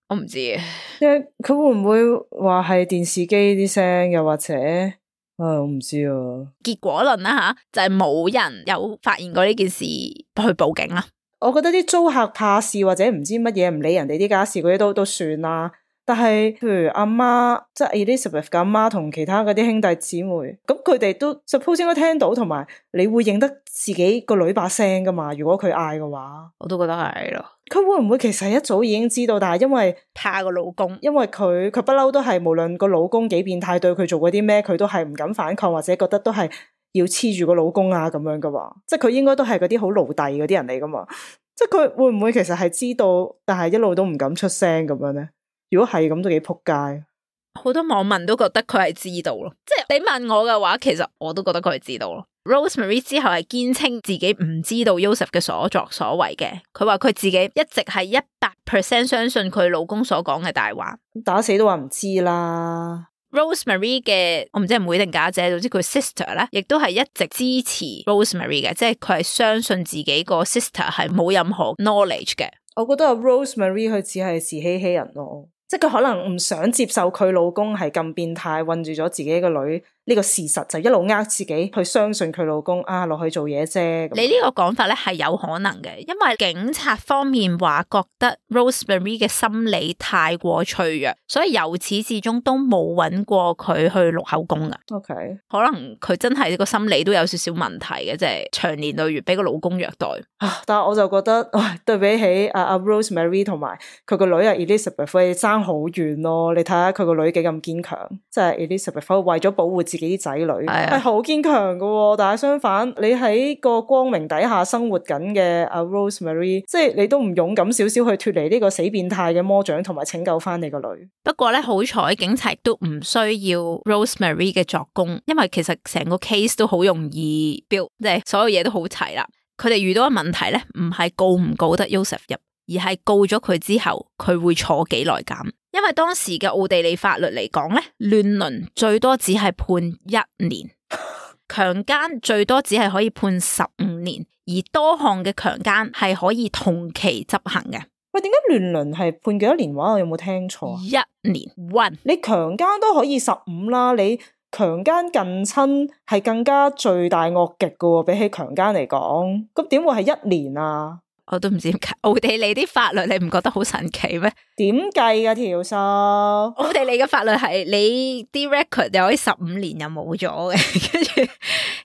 我唔知啊，佢會唔會話係電視機啲聲，又或者啊，我唔知啊。結果論啦吓，就係、是、冇人有發現過呢件事去報警啦。我覺得啲租客怕事或者唔知乜嘢唔理人哋啲家事嗰啲都都算啦。但係譬如阿媽，即係 Elizabeth 嘅阿媽同其他嗰啲兄弟姊妹，咁佢哋都 suppose 應該聽到，同埋你會認得自己個女把聲噶嘛？如果佢嗌嘅話，我都覺得係咯。佢會唔會其實一早已經知道，但係因為怕個老公，因為佢佢不嬲都係無論個老公幾變態對佢做過啲咩，佢都係唔敢反抗，或者覺得都係要黐住個老公啊咁樣噶嘛。即係佢應該都係嗰啲好奴隸嗰啲人嚟噶嘛。即係佢會唔會其實係知道，但係一路都唔敢出聲咁樣咧？如果係咁都幾撲街，好多網民都覺得佢係知道咯。即係你問我嘅話，其實我都覺得佢係知道咯。Rosemary 之後係堅稱自己唔知道 Joseph 嘅所作所為嘅，佢話佢自己一直係一百 percent 相信佢老公所講嘅大話，打死都話唔知啦。Rosemary 嘅我唔知係妹定家姐，總之佢 sister 咧，亦都係一直支持 Rosemary 嘅，即係佢係相信自己個 sister 係冇任何 knowledge 嘅。我覺得阿 Rosemary 佢只係自欺欺人咯。即係佢可能唔想接受佢老公係咁變態，困住咗自己個女呢個事實，就一路呃自己去相信佢老公啊落去做嘢啫。你呢個講法咧係有可能嘅，因為警察方面話覺得 Rosemary 嘅心理太過脆弱，所以由始至終都冇揾過佢去錄口供噶。OK，可能佢真係個心理都有少少問題嘅，即係長年累月俾個老公虐待。啊，但係我就覺得，唉，對比起阿阿 Rosemary 同埋佢個女阿 Elizabeth，佢哋爭好遠咯。你睇下佢個女幾咁堅強，即係 Elizabeth 為咗保護自己啲仔女，係好堅強噶。但係相反，你喺個光明底下生活緊嘅阿 Rosemary，即係你都唔勇敢少少去脫離呢個死變態嘅魔掌，同埋拯救翻你個女。不過咧，好彩警察都唔需要 Rosemary 嘅作供，因為其實成個 case 都好容易 build，即係所有嘢都好齊啦。佢哋遇到嘅問題咧，唔係告唔告得 Joseph 入，而係告咗佢之後，佢會坐幾耐監。因為當時嘅奧地利法律嚟講咧，亂倫最多只係判一年，強姦最多只係可以判十五年，而多項嘅強姦係可以同期執行嘅。喂，點解亂倫係判幾多年話？我有冇聽錯？一年 one， 你強姦都可以十五啦，你強姦近親係更加罪大惡極噶，比起強姦嚟講，咁點會係一年啊？我都唔知點解奧地利啲法律你唔覺得好神奇咩？點計噶條數？奧地利嘅法律係你啲 record 又可以十五年又冇咗嘅，跟住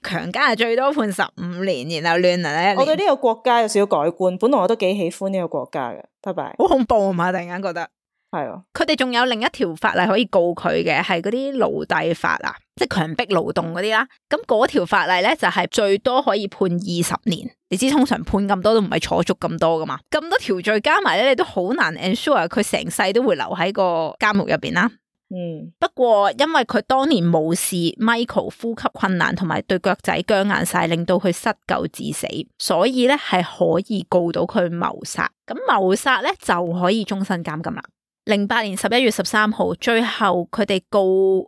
強姦係最多判十五年，然後亂倫咧。我對呢個國家有少少改觀，本來我都幾喜歡呢個國家嘅。拜拜。好恐怖啊嘛！突然間覺得。係啊，佢哋仲有另一條法例可以告佢嘅，係嗰啲奴隸法啊，即係強迫勞動嗰啲啦。咁嗰條法例咧就係最多可以判二十年。你知通常判咁多都唔係坐足咁多噶嘛，咁多條罪加埋咧，你都好難 ensure 佢成世都會留喺個監獄入邊啦。嗯，不過因為佢當年無視 Michael 呼吸困難同埋對腳仔僵硬晒，令到佢失救致死，所以咧係可以告到佢謀殺。咁謀殺咧就可以終身監禁啦。零八年十一月十三號，最後佢哋告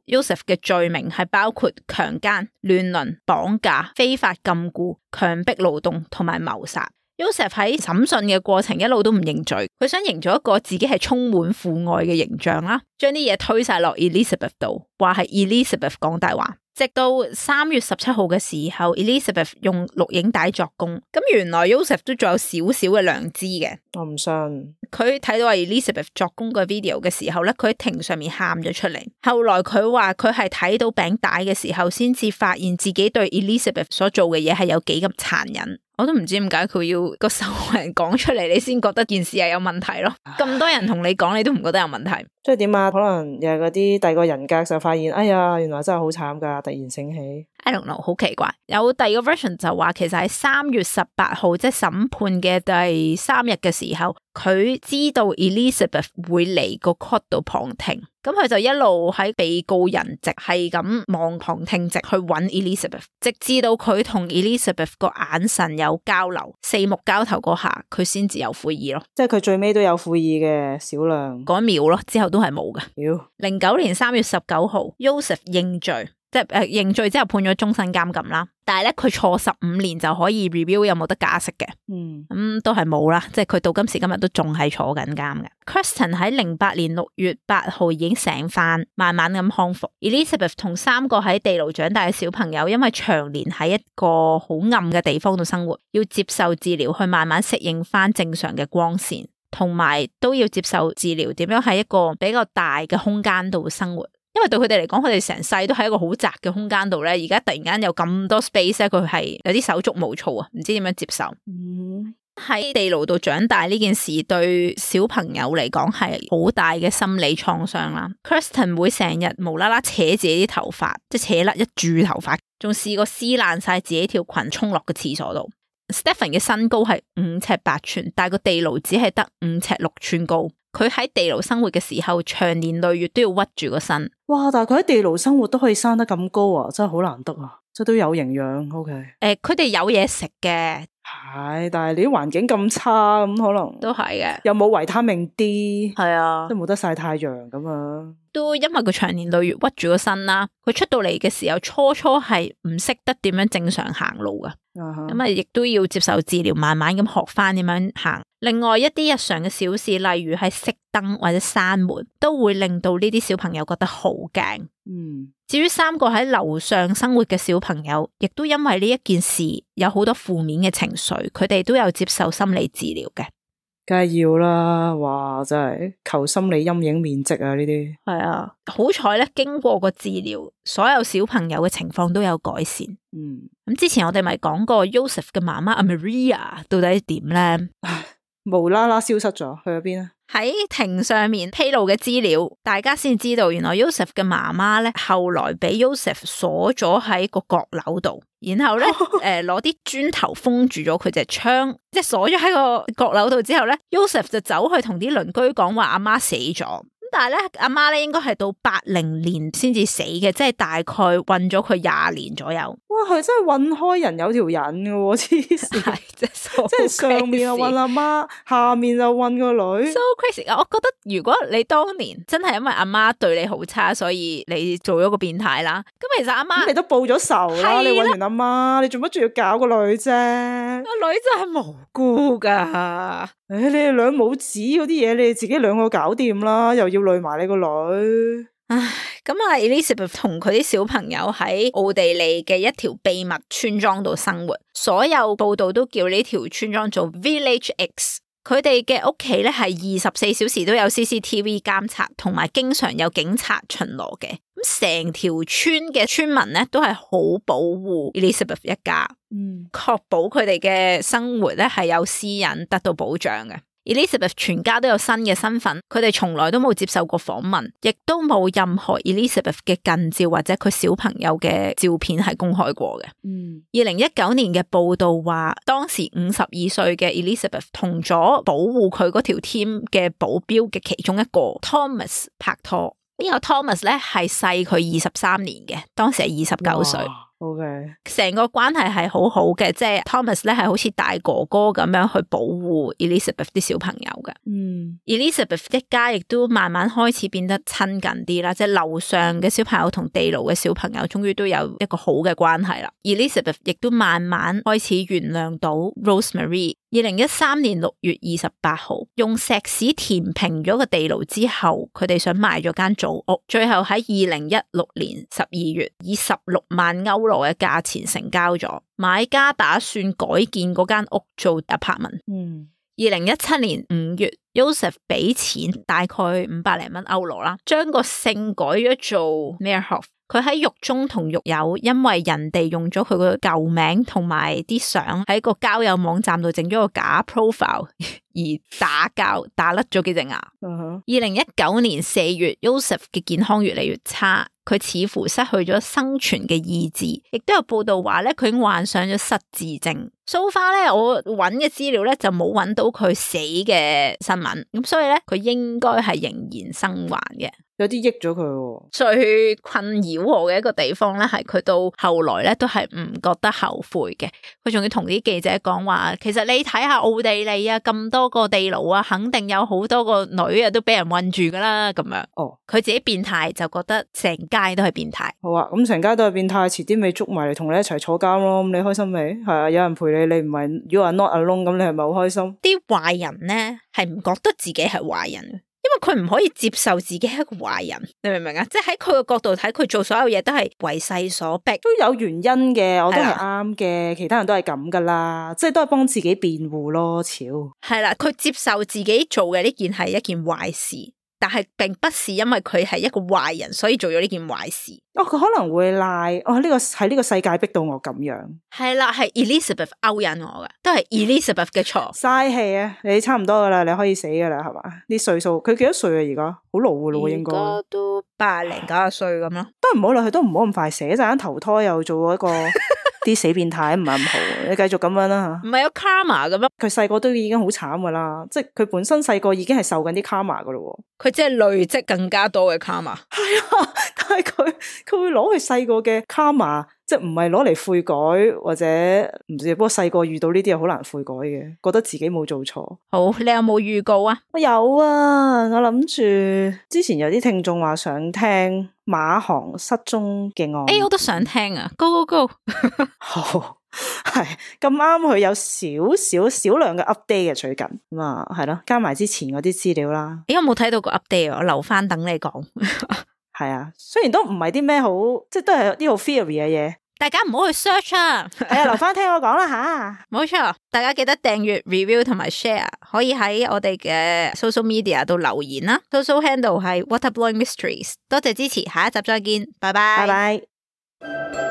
Joseph 嘅罪名係包括強姦、亂倫、綁架、非法禁錮、強迫勞動同埋謀殺。Joseph 喺審訊嘅過程一路都唔認罪，佢想營造一個自己係充滿父愛嘅形象啦，將啲嘢推晒落 Elizabeth 度，話係 Elizabeth 講大話。直到三月十七號嘅時候 ，Elizabeth 用錄影帶作供，咁原來 Joseph 都仲有少少嘅良知嘅。我唔信。佢睇到 Elizabeth 作供個 video 嘅時候咧，佢喺庭上面喊咗出嚟。後來佢話佢係睇到餅帶嘅時候，先至發現自己對 Elizabeth 所做嘅嘢係有幾咁殘忍。我都唔知點解佢要個受害人講出嚟，你先覺得件事係有問題咯。咁多人同你講，你都唔覺得有問題。即係點啊？可能又係嗰啲第二個人格就發現，哎呀，原來真係好慘噶，突然醒起。I don't know， 好奇怪。有第二個 version 就話，其實喺三月十八號，即係審判嘅第三日嘅時候，佢知道 Elizabeth 會嚟個 court 度旁聽，咁佢就一路喺被告人席係咁望旁聽席去揾 Elizabeth， 直至到佢同 Elizabeth 個眼神有交流，四目交投嗰下，佢先至有悔意咯。即係佢最尾都有悔意嘅少量嗰一秒咯，之後都係冇嘅。妖，零九年三月十九號 ，Joseph 認罪。即係誒認罪之後判咗終身監禁啦。但係咧佢坐十五年就可以 review 有冇得假釋嘅，嗯，咁、嗯、都係冇啦，即係佢到今時今日都仲係坐緊監嘅。Kirsten 喺零八年六月八號已經醒翻，慢慢咁康復。Elizabeth 同三個喺地牢長大嘅小朋友，因為長年喺一個好暗嘅地方度生活，要接受治療去慢慢適應翻正常嘅光線，同埋都要接受治療點樣喺一個比較大嘅空間度生活。因為對佢哋嚟講，佢哋成世都喺一個好窄嘅空間度咧，而家突然間有咁多 space 咧，佢係有啲手足無措啊，唔知點樣接受。喺、嗯、地牢度長大呢件事對小朋友嚟講係好大嘅心理創傷啦。Kirsten 會成日無啦啦扯自己啲頭髮，即係扯甩一柱頭髮，仲試過撕爛晒自己條裙衝落個廁所度。Stephen 嘅身高係五尺八寸，但係個地牢只係得五尺六寸高。佢喺地牢生活嘅時候，長年累月都要屈住個身。哇！但係佢喺地牢生活都可以生得咁高啊，真係好難得啊！即係都有營養。OK，誒，佢哋有嘢食嘅，係，但係你啲環境咁差，咁可能都係嘅。又冇維他命 D，係啊，都冇得曬太陽咁啊。都因為佢長年累月屈住個身啦，佢出到嚟嘅時候，初初係唔識得點樣正常行路噶。咁啊，亦都要接受治療，慢慢咁學翻點樣行。另外一啲日常嘅小事，例如係熄燈或者閂門，都會令到呢啲小朋友覺得好驚。嗯，至於三個喺樓上生活嘅小朋友，亦都因為呢一件事有好多負面嘅情緒，佢哋都有接受心理治療嘅。梗係要啦，哇！真係求心理陰影面積啊！呢啲係啊，好彩咧，經過個治療，所有小朋友嘅情況都有改善。嗯，咁之前我哋咪講過 Joseph 嘅媽媽阿 Maria 到底點咧？無啦啦消失咗，去咗邊啊？喺庭上面披露嘅資料，大家先知道原來 Joseph 嘅媽媽咧，後來俾 Joseph 鎖咗喺個閣樓度，然後咧誒攞啲磚頭封住咗佢隻窗，即係鎖咗喺個閣樓度之後咧 ，Joseph 就走去同啲鄰居講話阿媽死咗。但係咧，阿媽咧應該係到八零年先至死嘅，即係大概韞咗佢廿年左右。哇，佢真係韞開人有條癮嘅喎，黐線！即係上面又韞阿媽，下面就韞個女。So crazy！我覺得如果你當年真係因為阿媽對你好差，所以你做咗個變態啦。咁其實阿媽，你都報咗仇啦，你韞完阿媽，你做乜仲要搞個女啫？個女真係無辜噶。誒、哎，你哋兩母子嗰啲嘢，你哋自己兩個搞掂啦，又要累埋你個女。唉，咁啊 Elizabeth 同佢啲小朋友喺奧地利嘅一條秘密村莊度生活，所有報道都叫呢條村莊做 Village X。佢哋嘅屋企咧係二十四小時都有 C C T V 監察，同埋經常有警察巡邏嘅。咁成條村嘅村民咧都係好保護 Elizabeth 一家，嗯，確保佢哋嘅生活咧係有私隱得到保障嘅。Elizabeth 全家都有新嘅身份，佢哋從來都冇接受過訪問，亦都冇任何 Elizabeth 嘅近照或者佢小朋友嘅照片係公開過嘅。嗯，二零一九年嘅報道話，當時五十二歲嘅 Elizabeth 同咗保護佢嗰條 team 嘅保鏢嘅其中一個 Thomas 拍拖。呢個 Thomas 咧係細佢二十三年嘅，當時係二十九歲。OK，成個關係係好好嘅，即係 Thomas 咧係好似大哥哥咁樣去保護 Elizabeth 啲小朋友嘅。嗯 ，Elizabeth 一家亦都慢慢開始變得親近啲啦，即係樓上嘅小朋友同地牢嘅小朋友終於都有一個好嘅關係啦。Elizabeth 亦都慢慢開始原諒到 Rosemary。二零一三年六月二十八號，用石屎填平咗個地牢之後，佢哋想賣咗間祖屋，最後喺二零一六年十二月以十六萬歐羅嘅價錢成交咗。買家打算改建嗰間屋做 apartment。嗯，二零一七年五月 Joseph 俾錢大概五百零蚊歐羅啦，將個姓改咗做 Meerhof。佢喺獄中同獄友，因為人哋用咗佢個舊名同埋啲相喺個交友網站度整咗個假 profile 而打交，打甩咗幾隻牙。二零一九年四月 Joseph 嘅健康越嚟越差，佢似乎失去咗生存嘅意志，亦都有報道話咧佢已經患上咗失智症。So far 咧，我揾嘅資料咧就冇揾到佢死嘅新聞，咁所以咧佢應該係仍然生還嘅。有啲益咗佢喎。最困擾我嘅一個地方咧，係佢到後來咧都係唔覺得後悔嘅。佢仲要同啲記者講話，其實你睇下奧地利啊，咁多個地牢啊，肯定有好多個女啊都俾人困住噶啦，咁樣。哦，佢自己變態就覺得成街都係變態。好啊，咁成街都係變態，遲啲咪捉埋嚟同你一齊坐監咯。咁你開心未？係啊，有人陪你，你唔係 you are not alone，咁你係咪好開心？啲壞人咧係唔覺得自己係壞人，因為佢唔可以接受自己係一個壞人，你明唔明啊？即係喺佢嘅角度睇，佢做所有嘢都係為勢所逼，都有原因嘅，我都係啱嘅，其他人都係咁噶啦，即係都係幫自己辯護咯，超係啦，佢接受自己做嘅呢件係一件壞事，但係並不是因為佢係一個壞人，所以做咗呢件壞事。哦，佢可能會賴哦，呢、這個喺呢個世界逼到我咁樣。係啦，係 Elizabeth 勾引我嘅，都係 Elizabeth 嘅錯。嘥氣啊！你差唔多噶啦，你可以死噶啦，係嘛？啲歲數，佢幾多歲啊？而家好老噶咯，應該都八零九十歲咁咯。都唔好啦，佢都唔好咁快死，一陣間投胎又做一個啲死變態，唔係咁好。你繼續咁樣啦吓。唔係有 karma 咁樣？佢細個都已經好慘噶啦，即係佢本身細個已經係受緊啲 karma 噶咯。佢即係累積更加多嘅 karma。係啊，但係佢佢會攞佢細個嘅 karma，即係唔係攞嚟悔改或者唔知，不過細個遇到呢啲嘢好難悔改嘅，覺得自己冇做錯。好，你有冇預告啊？我有啊，我諗住之前有啲聽眾話想聽馬航失蹤嘅案。誒、欸，我都想聽啊 ，Go Go Go！ 好。係咁啱，佢有少少少量嘅 update 嘅最近咁啊，係咯，加埋之前嗰啲資料啦。咦，我冇睇到個 update，我留翻等你講。係啊，雖然都唔係啲咩好，即係都係啲好 theory 嘅嘢。大家唔好去 search 啊，係啊，留翻聽我講啦吓。冇錯，大家記得訂閱、review 同埋 share， 可以喺我哋嘅 social media 度留言啦。social handle 係 Waterblowing Mysteries。多謝支持，下一集再見，拜拜。拜拜。